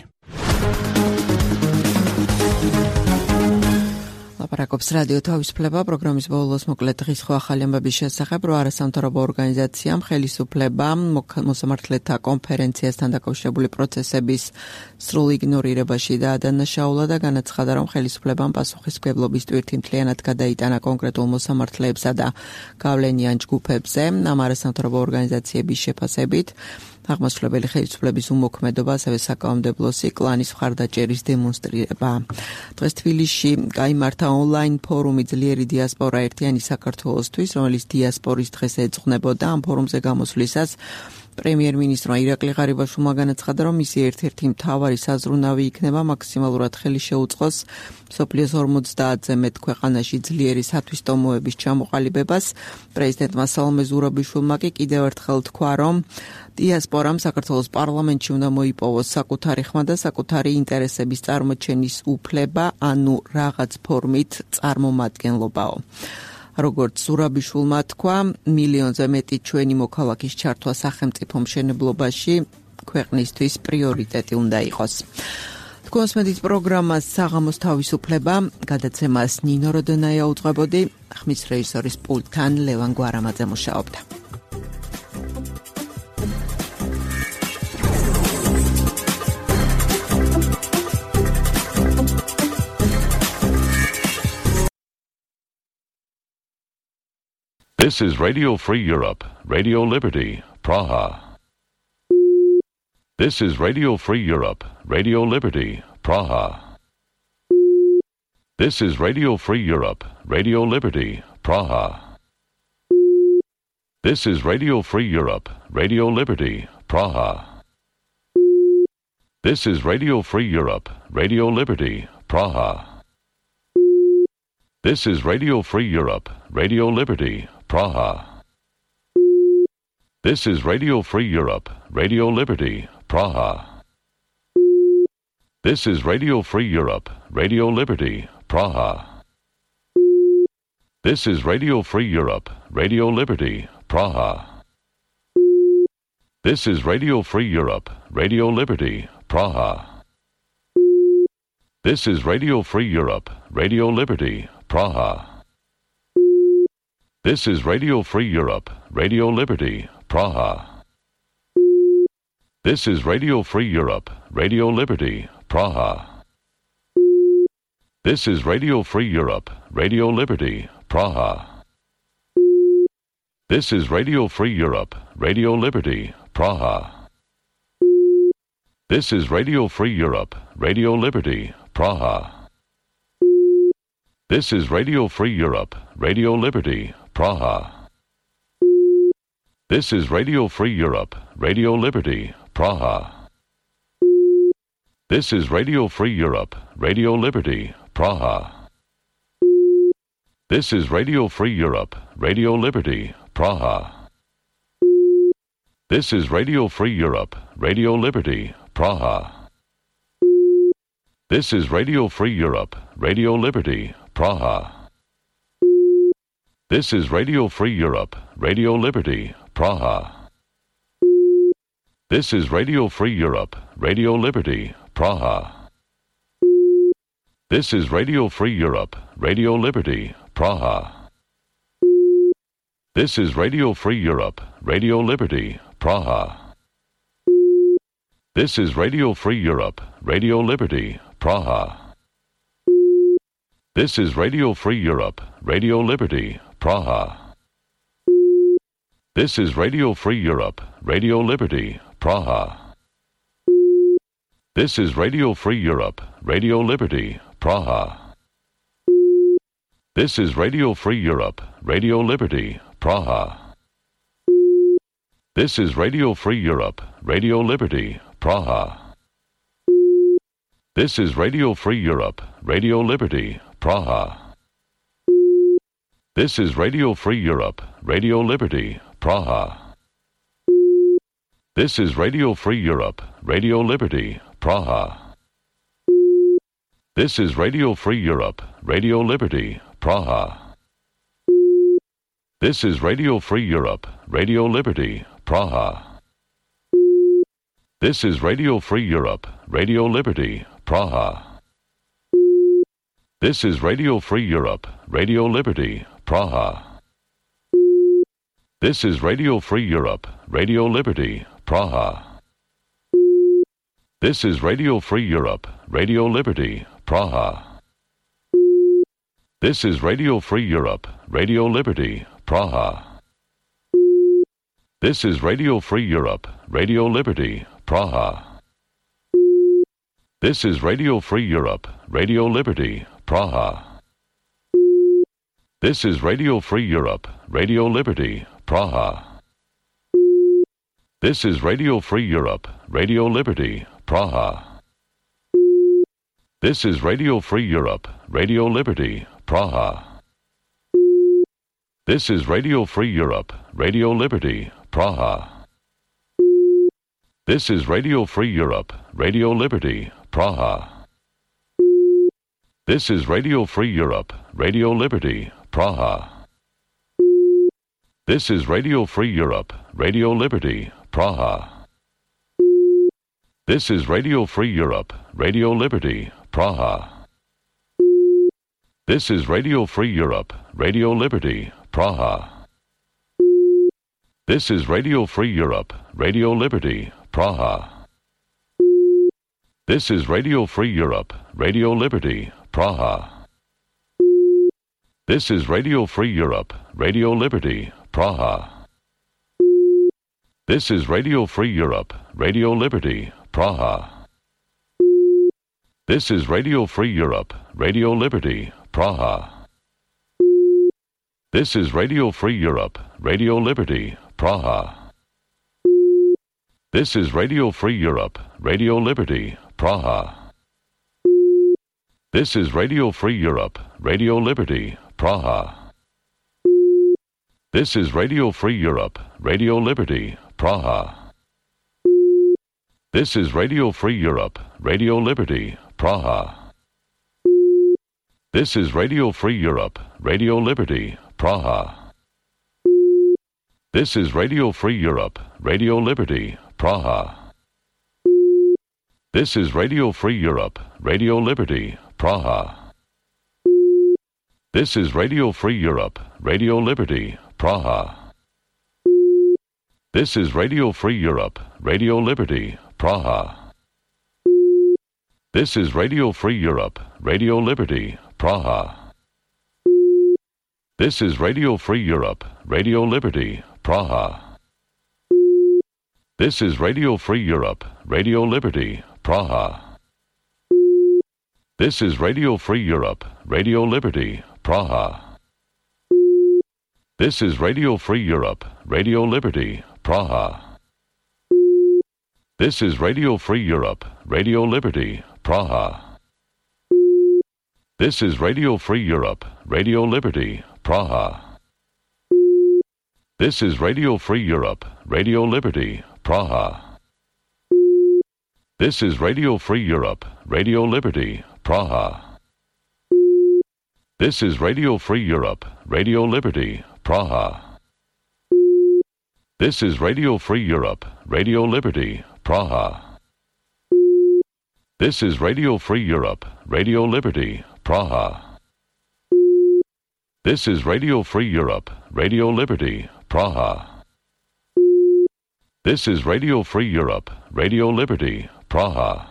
ლაპარაკობს რადიო თავისუფლება პროგრამის ბოლოს მოკლედ დღის ხო ახალი ამბების შესახებ, რომ არასამთავრობო ორგანიზაციამ ხელისუფლებამ მოსამართლეთა კონფერენციასთან დაკავშირებული პროცესების სრულ იგნორირებაში დაადანაშაულა და განაცხადა, რომ ხელისუფლებამ პასუხისმგებლობის ტვირთი მთლიანად გადაიტანა კონკრეტულ მოსამართლეებსა და გავლენიან ჯგუფებზე. ამ არასამთავრობო ორგანიზაციების შეფასებით აღმასრულებელი ხელისუფლების უმოქმედობა, ასევე საკანონმდებლო კლანის მხარდაჭერის დემონსტრირება. დღეს თბილისში გაიმართა ონლაინ ფორუმი ძლიერი დიასპორა ერთიანი საქართველოსთვის, რომელიც დიასპორის დღეს ეძღვნებოდა. ამ ფორუმზე გამოსვლისას პრემიერ-მინისტრმა ირაკლი ღარიბაშვილმა განაცხადა, რომ მისი ერთ-ერთი მთავარი საზრუნავი იქნება მაქსიმალურად ხელი შეუწყოს მსოფლიოს 50-ზე მეტ ქვეყანაში ძლიერი სათვისტომოების ჩამოყალიბებას. პრეზიდენტმა სალომე ზურაბიშვილმა კი კიდევ ერთხელ თქვა, რომ დიასპორამ საქართველოს პარლამენტში უნდა მოიპოვოს საკუთარი ხმა და საკუთარი ინტერესების წარმოჩენის უფლება, ანუ რაღაც ფორმით წარმომადგენლობაო. როგორც ზურაბიშვილმა თქვა, მილიონზე მეტი ჩვენი მოქალაქის ჩართვა სახელმწიფო მშენებლობაში ქვეყნისთვის პრიორიტეტი უნდა იყოს. თქვენსმენით პროგრამას საღამოს თავისუფლება, გადაცემას ნინო როდონაია უძღვებოდი, ხმის რეჟისორის პულტთან ლევან გვარამაძე მუშაობდა. This is Radio Free Europe, Radio Liberty, Praha. This is Radio Free Europe, Radio Liberty, Praha. This is Radio Free Europe, Radio Liberty, Praha. This is Radio Free Europe, Radio Liberty, Praha. This is Radio Free Europe, Radio Liberty, Praha. This is Radio Free Europe, Radio Liberty, Praha. This is Radio Free Europe, Radio Liberty, Praha. This is Radio Free Europe, Radio Liberty, Praha. This is Radio Free Europe, Radio Liberty, Praha. This is Radio Free Europe, Radio Liberty, Praha. This is Radio Free Europe, Radio Liberty, Praha. This is Radio Free Europe, Radio Liberty, Praha. This is Radio Free Europe, Radio Liberty, Praha. This is Radio Free Europe, Radio Liberty, Praha. This is Radio Free Europe, Radio Liberty, Praha. This is Radio Free Europe, Radio Liberty, Praha. This is Radio Free Europe, Radio Liberty, Praha. This is Radio Free Europe, Radio Liberty, Praha. This is Radio Free Europe, Radio Liberty, Praha. This is Radio Free Europe, Radio Liberty, Praha. This is Radio Free Europe, Radio Liberty, Praha. This is Radio Free Europe, Radio Liberty, Praha. This is Radio Free Europe, Radio Liberty, Praha. This is Radio Free Europe, Radio Liberty, Praha. This is Radio Free Europe, Radio Liberty, Praha. This is Radio Free Europe, Radio Liberty, Praha. This is Radio Free Europe, Radio Liberty, Praha. This is Radio Free Europe, Radio Liberty, Praha. This is Radio Free Europe, Radio Liberty, Praha. This is Radio Free Europe, Radio Liberty, Praha. This is Radio Free Europe, Radio Liberty, Praha. This is Radio Free Europe, Radio Liberty, Praha. This is Radio Free Europe, Radio Liberty, Praha. This is Radio Free Europe, Radio Liberty, Praha. This is Radio Free Europe, Radio Liberty, Praha. This is Radio Free Europe, Radio Liberty, Praha. This is Radio Free Europe, Radio Liberty, Praha. This is Radio Free Europe, Radio Liberty, Praha. This is Radio Free Europe, Radio Liberty, Praha. This is Radio Free Europe, Radio Liberty, Praha. This is Radio Free Europe, Radio Liberty, Praha. This is Radio Free Europe, Radio Liberty, Praha. This is Radio Free Europe, Radio Liberty, Praha. This is Radio Free Europe, Radio Liberty, Praha. This is Radio Free Europe, Radio Liberty, Praha. This is Radio Free Europe, Radio Liberty, Praha. This is Radio Free Europe, Radio Liberty, Praha. This is Radio Free Europe, Radio Liberty, Praha. This is Radio Free Europe, Radio Liberty, Praha. This is Radio Free Europe, Radio Liberty, Praha. This is Radio Free Europe, Radio Liberty, Praha. This is Radio Free Europe, Radio Liberty, Praha. This is Radio Free Europe, Radio Liberty, Praha. This is Radio Free Europe, Radio Liberty, Praha. This is Radio Free Europe, Radio Liberty, Praha. This is Radio Free Europe, Radio Liberty, Praha. This is Radio Free Europe, Radio Liberty, Praha. This is Radio Free Europe, Radio Liberty, Praha. This is Radio Free Europe, Radio Liberty, Praha. This is Radio Free Europe, Radio Liberty, Praha. This is Radio Free Europe, Radio Liberty, Praha. This is Radio Free Europe, Radio Liberty, Praha. This is Radio Free Europe, Radio Liberty, Praha. This is Radio Free Europe, Radio Liberty, Praha. This is Radio Free Europe, Radio Liberty, Praha. This is Radio Free Europe, Radio Liberty, Praha. This is Radio Free Europe, Radio Liberty, Praha. This is Radio Free Europe, Radio Liberty, Praha. This is Radio Free Europe, Radio Liberty, Praha. This is Radio Free Europe, Radio Liberty, Praha. This is Radio Free Europe, Radio Liberty, Praha. This is Radio Free Europe, Radio Liberty, Praha. This is Radio Free Europe, Radio Liberty, Praha. This is Radio Free Europe, Radio Liberty, Praha. This is Radio Free Europe, Radio Liberty, Praha. This is Radio Free Europe, Radio Liberty, Praha. This is Radio Free Europe, Radio Liberty, Praha. This is Radio Free Europe, Radio Liberty, Praha. This is Radio Free Europe, Radio Liberty, Praha. This is Radio Free Europe, Radio Liberty, Praha. This is Radio Free Europe, Radio Liberty, Praha. This is Radio Free Europe, Radio Liberty, Praha.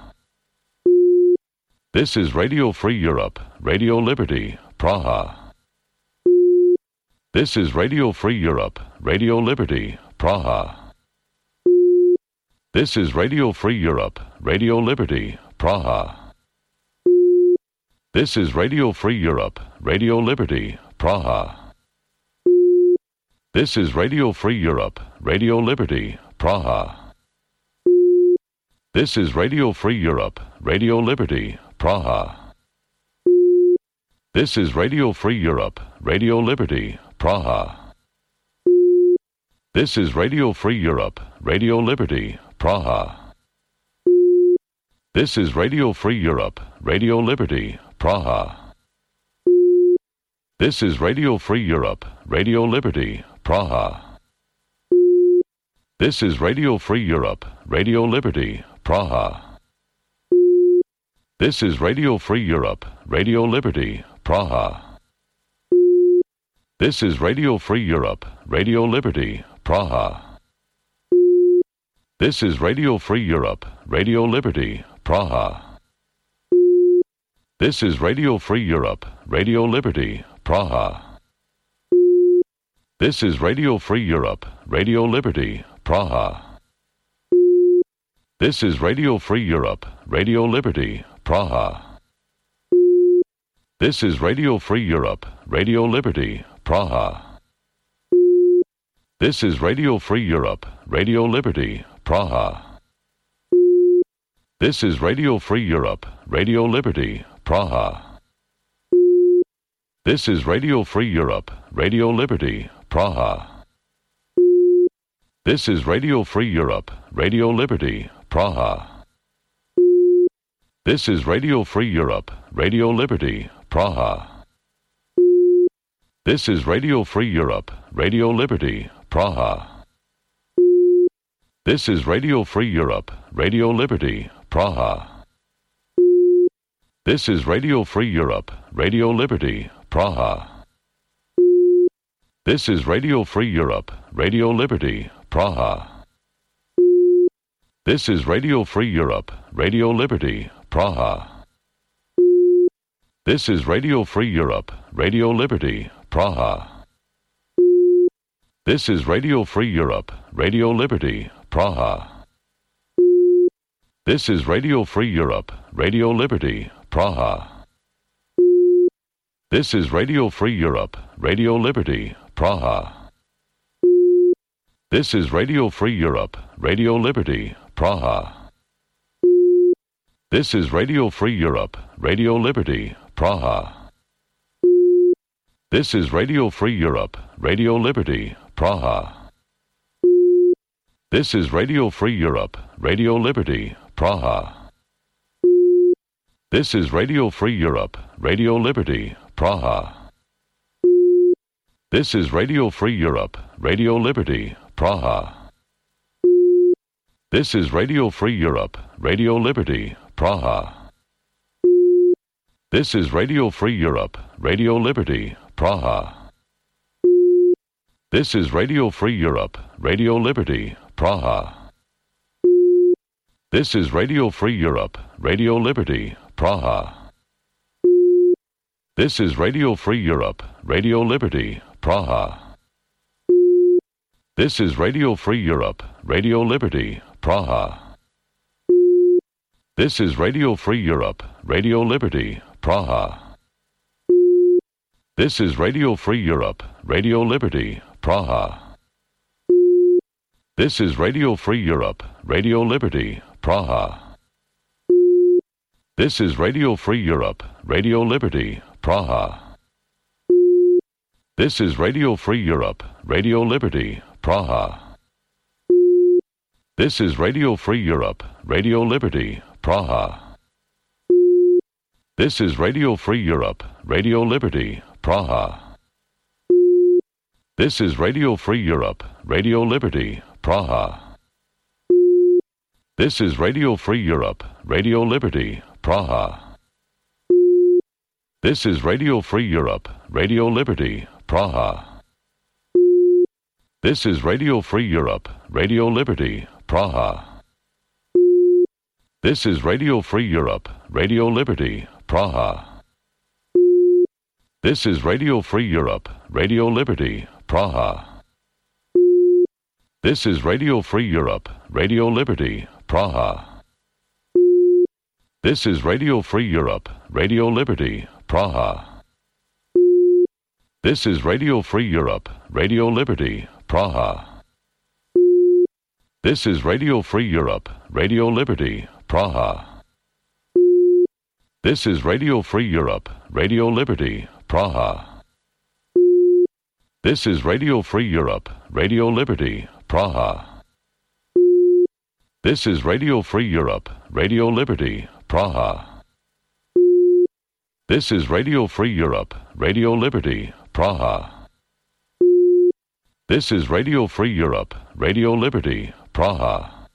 This is Radio Free Europe, Radio Liberty, Praha. This is Radio Free Europe, Radio Liberty, Praha. This is Radio Free Europe, Radio Liberty, Praha. This is Radio Free Europe, Radio Liberty, Praha. This is Radio Free Europe, Radio Liberty, Praha. This is Radio Free Europe, Radio Liberty, Praha. This is Radio Free Europe, Radio Liberty, Praha. This is Radio Free Europe, Radio Liberty, Praha. This is Radio Free Europe, Radio Liberty, Praha. This is Radio Free Europe, Radio Liberty, Praha. This is Radio Free Europe, Radio Liberty, Praha. This is Radio Free Europe, Radio Liberty, Praha. This is Radio Free Europe, Radio Liberty, Praha. This is Radio Free Europe, Radio Liberty, Praha. This is Radio Free Europe, Radio Liberty, Praha. This is Radio Free Europe, Radio Liberty, Praha. This is Radio Free Europe, Radio Liberty, Praha. This is Radio Free Europe, Radio Liberty, Praha. This is Radio Free Europe, Radio Liberty, Praha. This is Radio Free Europe, Radio Liberty, Praha. This is Radio Free Europe, Radio Liberty, Praha. This is Radio Free Europe, Radio Liberty, Praha. This is Radio Free Europe, Radio Liberty, Praha. This is Radio Free Europe, Radio Liberty, Praha. This is Radio Free Europe, Radio Liberty, Praha. This is Radio Free Europe, Radio Liberty, Praha. This is Radio Free Europe, Radio Liberty, Praha. This is Radio Free Europe, Radio Liberty, Praha. This is Radio Free Europe, Radio Liberty, Praha. This is Radio Free Europe, Radio Liberty, Praha. This is Radio Free Europe, Radio Liberty, Praha. This is Radio Free Europe, Radio Liberty, Praha. This is Radio Free Europe, Radio Liberty, Praha. This is Radio Free Europe, Radio Liberty, Praha. This is Radio Free Europe, Radio Liberty, Praha. This is Radio Free Europe, Radio Liberty, Praha. This is Radio Free Europe, Radio Liberty, Praha. This is Radio Free Europe, Radio Liberty, Praha. This is Radio Free Europe, Radio Liberty, Praha. This is Radio Free Europe, Radio Liberty, Praha. This is Radio Free Europe, Radio Liberty, Praha. This is Radio Free Europe, Radio Liberty, Praha. This is Radio Free Europe, Radio Liberty, Praha. This is Radio Free Europe, Radio Liberty, Praha. This is Radio Free Europe, Radio Liberty, Praha. This is Radio Free Europe, Radio Liberty, Praha. This is Radio Free Europe, Radio Liberty, Praha. This is Radio Free Europe, Radio Liberty, Praha. This is Radio Free Europe, Radio Liberty, Praha. This is Radio Free Europe, Radio Liberty, Praha. This is Radio Free Europe, Radio Liberty, Praha. This is Radio Free Europe, Radio Liberty, Praha. This is Radio Free Europe, Radio Liberty, Praha. This is Radio Free Europe, Radio Liberty, Praha. This is Radio Free Europe, Radio Liberty, Praha. This is Radio Free Europe, Radio Liberty, Praha. This is Radio Free Europe, Radio Liberty, Praha. This is Radio Free Europe, Radio Liberty, Praha. This is Radio Free Europe, Radio Liberty, Praha. This is Radio Free Europe, Radio Liberty, Praha. This is Radio Free Europe, Radio Liberty, Praha. This is Radio Free Europe, Radio Liberty, Praha. This is Radio Free Europe, Radio Liberty, Praha. This is Radio Free Europe, Radio Liberty, Praha. This is Radio Free Europe, Radio Liberty, Praha. This is Radio Free Europe, Radio Liberty, Praha.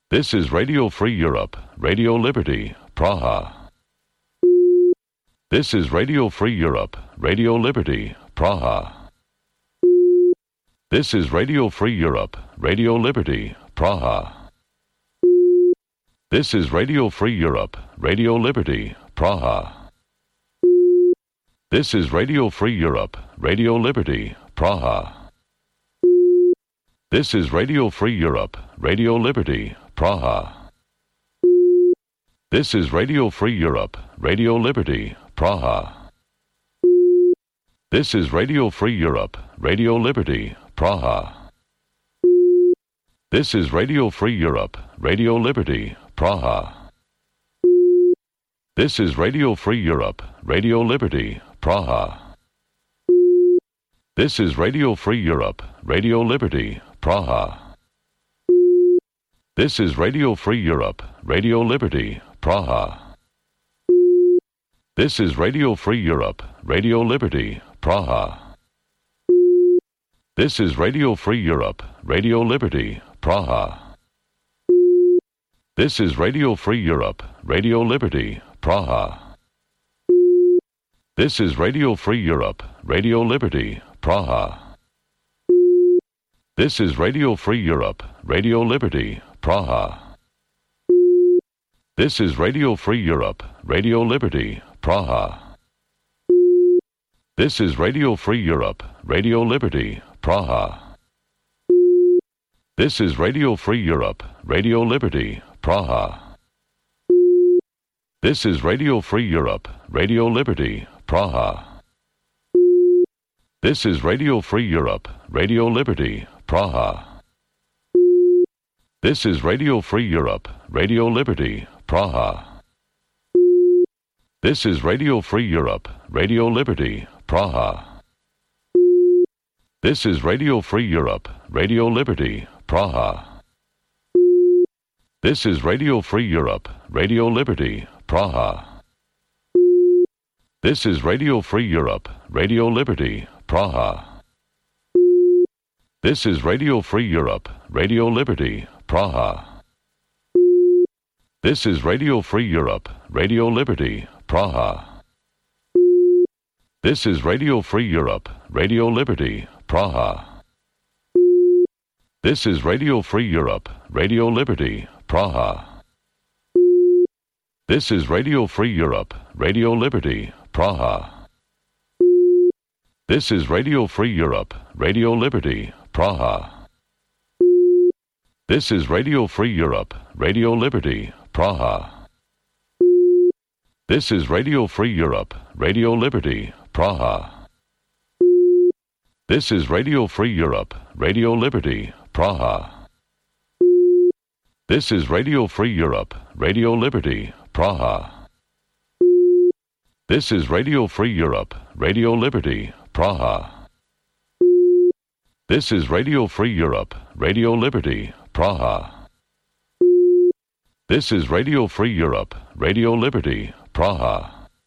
This is Radio Free Europe, Radio Liberty, Praha. This is Radio Free Europe, Radio Liberty, Praha. This is Radio Free Europe, Radio Liberty, Praha. This is Radio Free Europe, Radio Liberty, Praha. This is Radio Free Europe, Radio Liberty, Praha. This is Radio Free Europe, Radio Liberty, Praha. This is Radio Free Europe, Radio Liberty, Praha. This is Radio Free Europe, Radio Liberty, Praha. This is Radio Free Europe, Radio Liberty, Praha. This is Radio Free Europe, Radio Liberty, Praha. This is Radio Free Europe, Radio Liberty, Praha. This is Radio Free Europe, Radio Liberty, Praha. This is Radio Free Europe, Radio Liberty, Praha. This is Radio Free Europe, Radio Liberty, Praha. This is Radio Free Europe, Radio Liberty, Praha. This is Radio Free Europe, Radio Liberty, Praha. This is Radio Free Europe, Radio Liberty, Praha. This is Radio Free Europe, Radio Liberty, Praha. This is Radio Free Europe, Radio Liberty, Praha. This is Radio Free Europe, Radio Liberty, Praha. This is Radio Free Europe, Radio Liberty, Praha. This is Radio Free Europe, Radio Liberty, Praha. This is Radio Free Europe, Radio Liberty, Praha. This is Radio Free Europe, Radio Liberty, Praha. This is Radio Free Europe, Radio Liberty, Praha. This is Radio Free Europe, Radio Liberty, Praha. This is Radio Free Europe, Radio Liberty, Praha. This is Radio Free Europe, Radio Liberty, Praha. This is Radio Free Europe, Radio Liberty, Praha. This is Radio Free Europe, Radio Liberty, Praha. This is Radio Free Europe, Radio Liberty, Praha. This is Radio Free Europe, Radio Liberty, Praha. This is Radio Free Europe, Radio Liberty, Praha. This is Radio Free Europe, Radio Liberty, Praha. This is Radio Free Europe, Radio Liberty, Praha. This is Radio Free Europe, Radio Liberty, Praha. This is Radio Free Europe, Radio Liberty, Praha. This is Radio Free Europe, Radio Liberty, Praha. This is Radio Free Europe, Radio Liberty, Praha. This is Radio Free Europe, Radio Liberty, Praha. This is Radio Free Europe, Radio Liberty, Praha.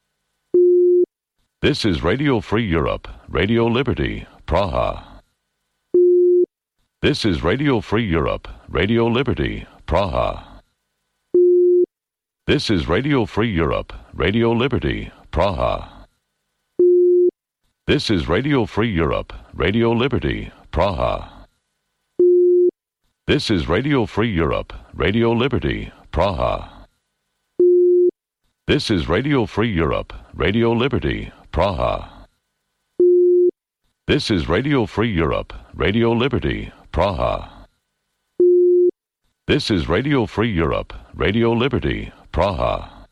This is Radio Free Europe, Radio Liberty, Praha. This is Radio Free Europe, Radio Liberty, Praha. This is Radio Free Europe, Radio Liberty, Praha. This is Radio Free Europe, Radio Liberty, Praha. This is Radio Free Europe, Radio Liberty, Praha. This is Radio Free Europe, Radio Liberty, Praha. This is Radio Free Europe, Radio Liberty, Praha.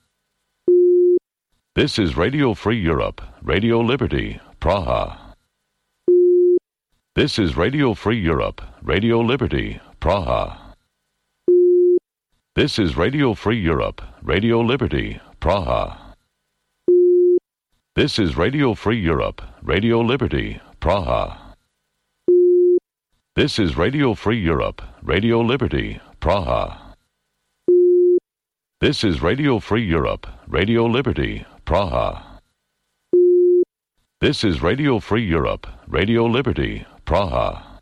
This is Radio Free Europe, Radio Liberty, Praha. This is Radio Free Europe, Radio Liberty, Praha. This is Radio Free Europe, Radio Liberty, Praha. This is Radio Free Europe, Radio Liberty, Praha. This is Radio Free Europe, Radio Liberty, Praha. This is Radio Free Europe, Radio Liberty, Praha. This is Radio Free Europe, Radio Liberty, Praha.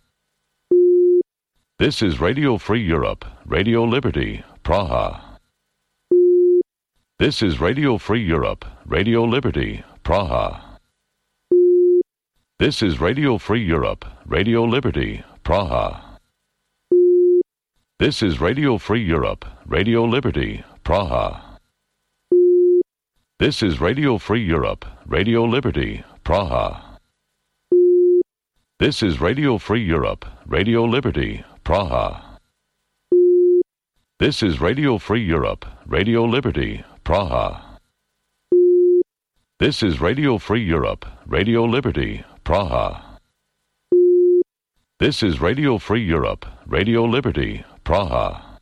This is Radio Free Europe, Radio Liberty, Praha. This is Radio Free Europe, Radio Liberty, Praha. This is Radio Free Europe, Radio Liberty, Praha. This is Radio Free Europe, Radio Liberty, Praha. This is Radio Free Europe, Radio Liberty, Praha. This is Radio Free Europe, Radio Liberty, Praha. This is Radio Free Europe, Radio Liberty, Praha. This is Radio Free Europe, Radio Liberty, Praha. This is Radio Free Europe, Radio Liberty, Praha.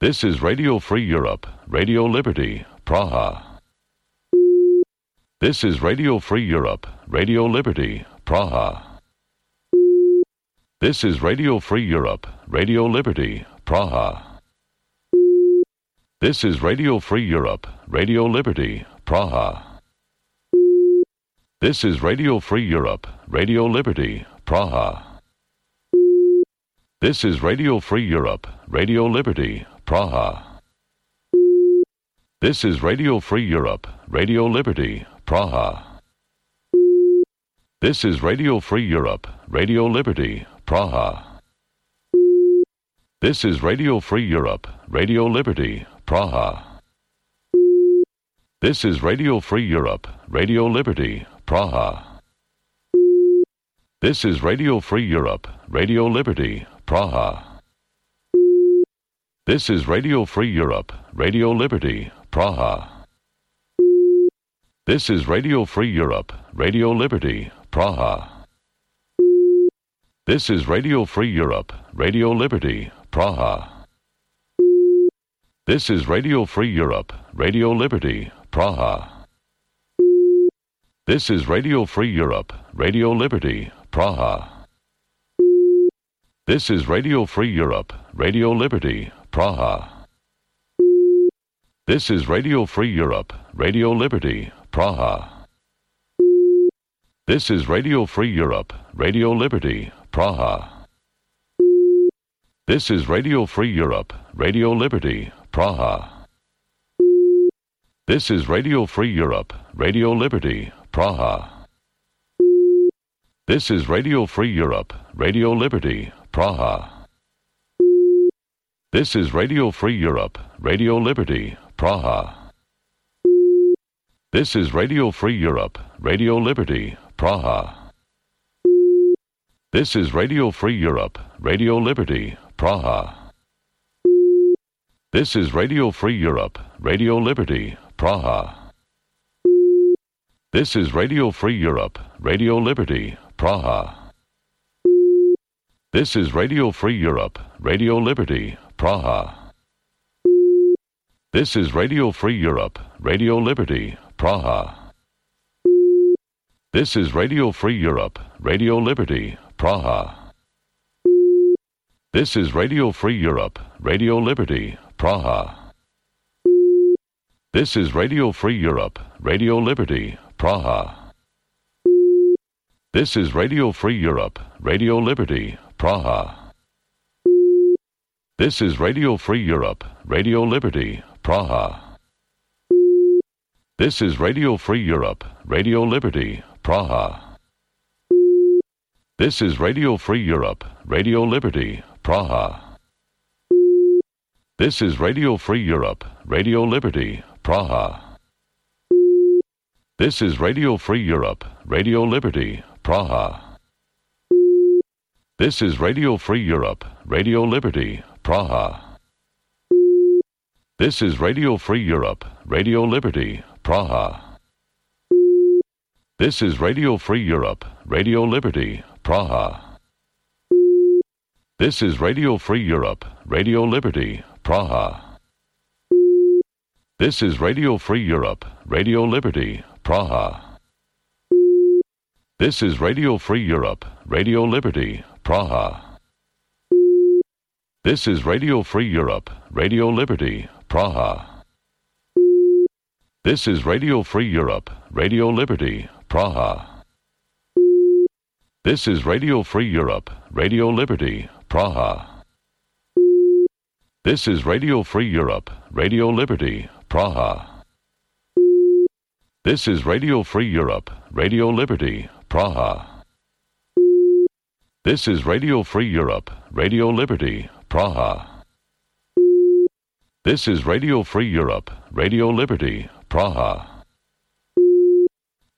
This is Radio Free Europe, Radio Liberty, Praha. This is Radio Free Europe, Radio Liberty, Praha. This is Radio Free Europe, Radio Liberty, Praha. This is Radio Free Europe, Radio Liberty, Praha. This is Radio Free Europe, Radio Liberty, Praha. This is Radio Free Europe, Radio Liberty, Praha. This is Radio Free Europe, Radio Liberty, Praha. This is Radio Free Europe, Radio Liberty, Praha. This is Radio Free Europe, Radio Liberty, Praha. This is Radio Free Europe, Radio Liberty, Praha. This is Radio Free Europe, Radio Liberty, Praha. This is Radio Free Europe, Radio Liberty, Praha. This is Radio Free Europe, Radio Liberty, Praha. This is Radio Free Europe, Radio Liberty, Praha. This is Radio Free Europe, Radio Liberty, Praha. This is Radio Free Europe, Radio Liberty, Praha. This is Radio Free Europe, Radio Liberty, Praha. This is Radio Free Europe, Radio Liberty, Praha. This is Radio Free Europe, Radio Liberty, Praha. This is Radio Free Europe, Radio Liberty, Praha. This is Radio Free Europe, Radio Liberty, Praha. This is Radio Free Europe, Radio Liberty, Praha. This is Radio Free Europe, Radio Liberty, Praha. This is Radio Free Europe, Radio Liberty, Praha. This is Radio Free Europe, Radio Liberty, Praha. This is Radio Free Europe, Radio Liberty, Praha. This is Radio Free Europe, Radio Liberty, Praha. This is Radio Free Europe, Radio Liberty, Praha. This is Radio Free Europe, Radio Liberty, Praha. This is Radio Free Europe, Radio Liberty, Praha. This is Radio Free Europe, Radio Liberty, Praha. This is Radio Free Europe, Radio Liberty, Praha. This is Radio Free Europe, Radio Liberty, Praha. This is Radio Free Europe, Radio Liberty, Praha. This is Radio Free Europe, Radio Liberty, Praha. This is Radio Free Europe, Radio Liberty, Praha. This is Radio Free Europe, Radio Liberty, Praha. This is Radio Free Europe, Radio Liberty, Praha. This is Radio Free Europe, Radio Liberty, Praha. This is Radio Free Europe, Radio Liberty, Praha. This is Radio Free Europe, Radio Liberty, Praha. This is Radio Free Europe, Radio Liberty, Praha. This is Radio Free Europe, Radio Liberty, Praha. This is Radio Free Europe, Radio Liberty, Praha. This is Radio Free Europe, Radio Liberty, Praha. This is Radio Free Europe, Radio Liberty, Praha. This is Radio Free Europe, Radio Liberty, Praha. This is Radio Free Europe, Radio Liberty, Praha. This is Radio Free Europe, Radio Liberty, Praha. This is Radio Free Europe, Radio Liberty, Praha. This is Radio Free Europe, Radio Liberty, Praha.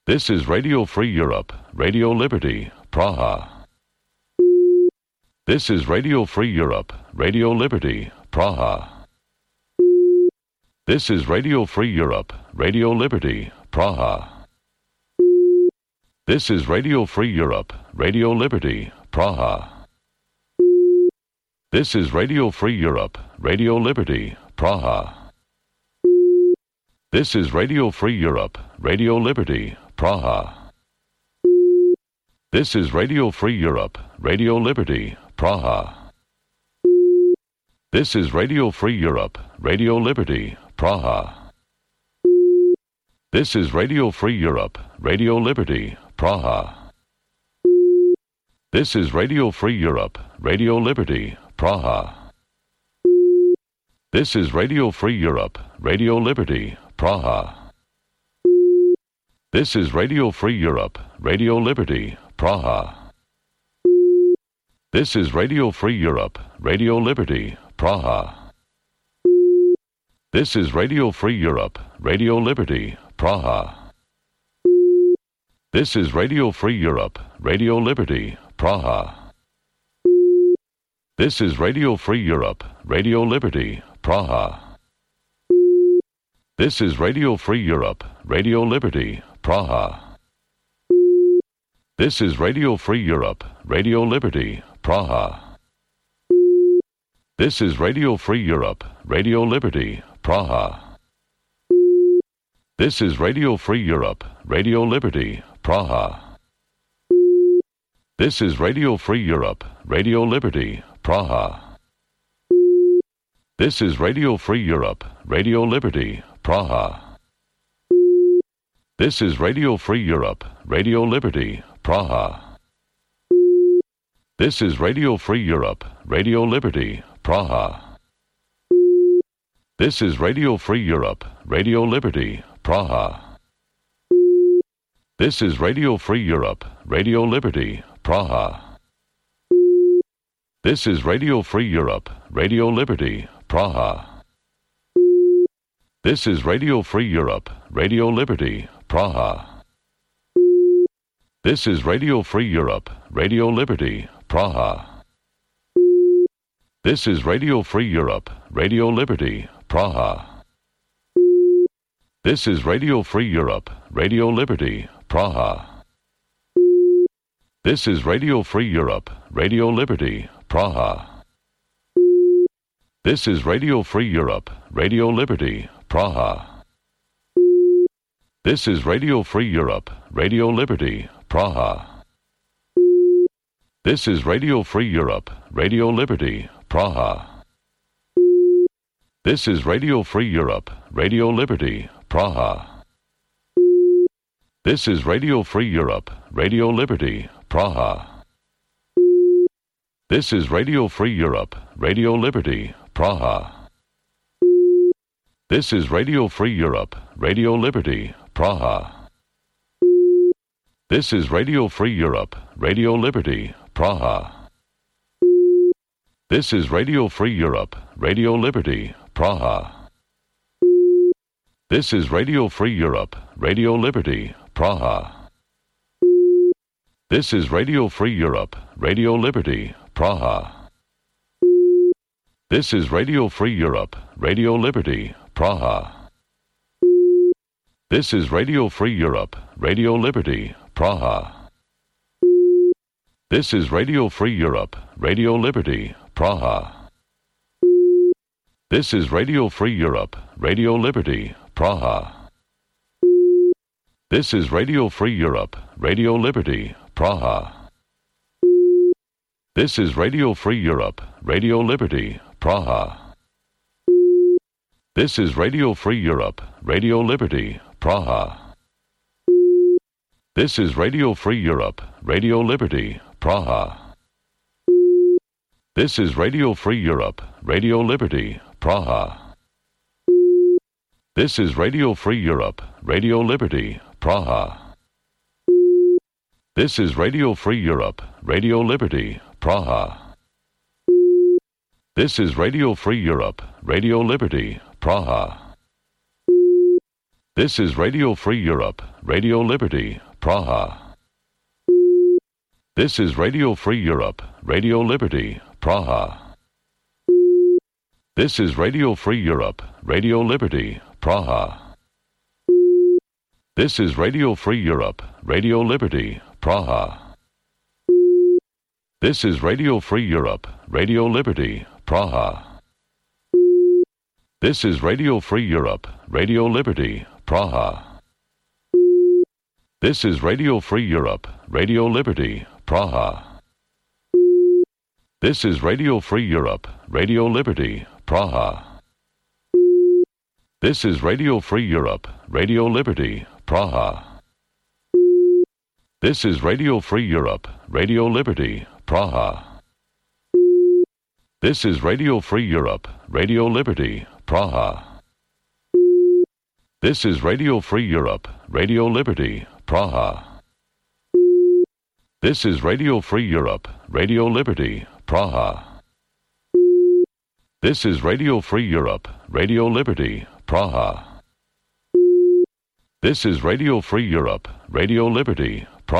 This is Radio Free Europe, Radio Liberty, Praha. This is Radio Free Europe, Radio Liberty, Praha. This is Radio Free Europe, Radio Liberty, Praha. This is Radio Free Europe, Radio Liberty, Praha. This is Radio Free Europe, Radio Liberty, Praha. This is Radio Free Europe, Radio Liberty, Praha. This is Radio Free Europe, Radio Liberty, Praha. This is Radio Free Europe, Radio Liberty, Praha. This is Radio Free Europe, Radio Liberty, Praha. This is Radio Free Europe, Radio Liberty, Praha. This is Radio Free Europe, Radio Liberty, Praha. This is Radio Free Europe, Radio Liberty, Praha. This is Radio Free Europe, Radio Liberty, Praha. This is Radio Free Europe, Radio Liberty, Praha. This is Radio Free Europe, Radio Liberty, Praha. This is Radio Free Europe, Radio Liberty, Praha. This is Radio Free Europe, Radio Liberty, Praha. This is Radio Free Europe, Radio Liberty, Praha. This is Radio Free Europe, Radio Liberty, Praha. This is Radio Free Europe, Radio Liberty, Praha. This is Radio Free Europe, Radio Liberty, Praha. This is Radio Free Europe, Radio Liberty, Praha. This is Radio Free Europe, Radio Liberty, Praha. This is Radio Free Europe, Radio Liberty, Praha. This is Radio Free Europe, Radio Liberty, Praha. This is Radio Free Europe, Radio Liberty, Praha. This is Radio Free Europe, Radio Liberty, Praha. This is Radio Free Europe, Radio Liberty, Praha. This is Radio Free Europe, Radio Liberty, Praha. This is Radio Free Europe, Radio Liberty, Praha. This is Radio Free Europe, Radio Liberty, Praha. This is Radio Free Europe, Radio Liberty, Praha. This is Radio Free Europe, Radio Liberty, Praha. This is Radio Free Europe, Radio Liberty, Praha. This is Radio Free Europe, Radio Liberty, Praha. This is Radio Free Europe, Radio Liberty, Praha. This is Radio Free Europe, Radio Liberty, Praha. This is Radio Free Europe, Radio Liberty, Praha. This is Radio Free Europe, Radio Liberty, Praha. This is Radio Free Europe, Radio Liberty, Praha. This is Radio Free Europe, Radio Liberty, Praha. This is Radio Free Europe, Radio Liberty, Praha. This is Radio Free Europe, Radio Liberty, Praha. This is Radio Free Europe, Radio Liberty, Praha. This is Radio Free Europe, Radio Liberty, Praha. This is Radio Free Europe, Radio Liberty, Praha. This is Radio Free Europe, Radio Liberty, Praha. This is Radio Free Europe, Radio Liberty, Praha. This is Radio Free Europe, Radio Liberty, Praha. This is Radio Free Europe, Radio Liberty, Praha. This is Radio Free Europe, Radio Liberty, Praha. This is Radio Free Europe, Radio Liberty, Praha. This is Radio Free Europe, Radio Liberty, Praha. This is Radio Free Europe, Radio Liberty, Praha. This is Radio Free Europe, Radio Liberty, Praha. This is Radio Free Europe, Radio Liberty, Praha. This is Radio Free Europe, Radio Liberty, Praha. This is Radio Free Europe, Radio Liberty, Praha. This is Radio Free Europe, Radio Liberty, Praha. This is Radio Free Europe, Radio Liberty, Praha. This is Radio Free Europe, Radio Liberty, Praha. This is Radio Free Europe, Radio Liberty, Praha. This is Radio Free Europe, Radio Liberty, Praha. This is Radio Free Europe, Radio Liberty, Praha. This is Radio Free Europe, Radio Liberty, Praha. This is Radio Free Europe, Radio Liberty, Praha. This is Radio Free Europe, Radio Liberty, Praha. This is Radio Free Europe, Radio Liberty, Praha. This is Radio Free Europe, Radio Liberty, Praha. This is Radio Free Europe, Radio Liberty,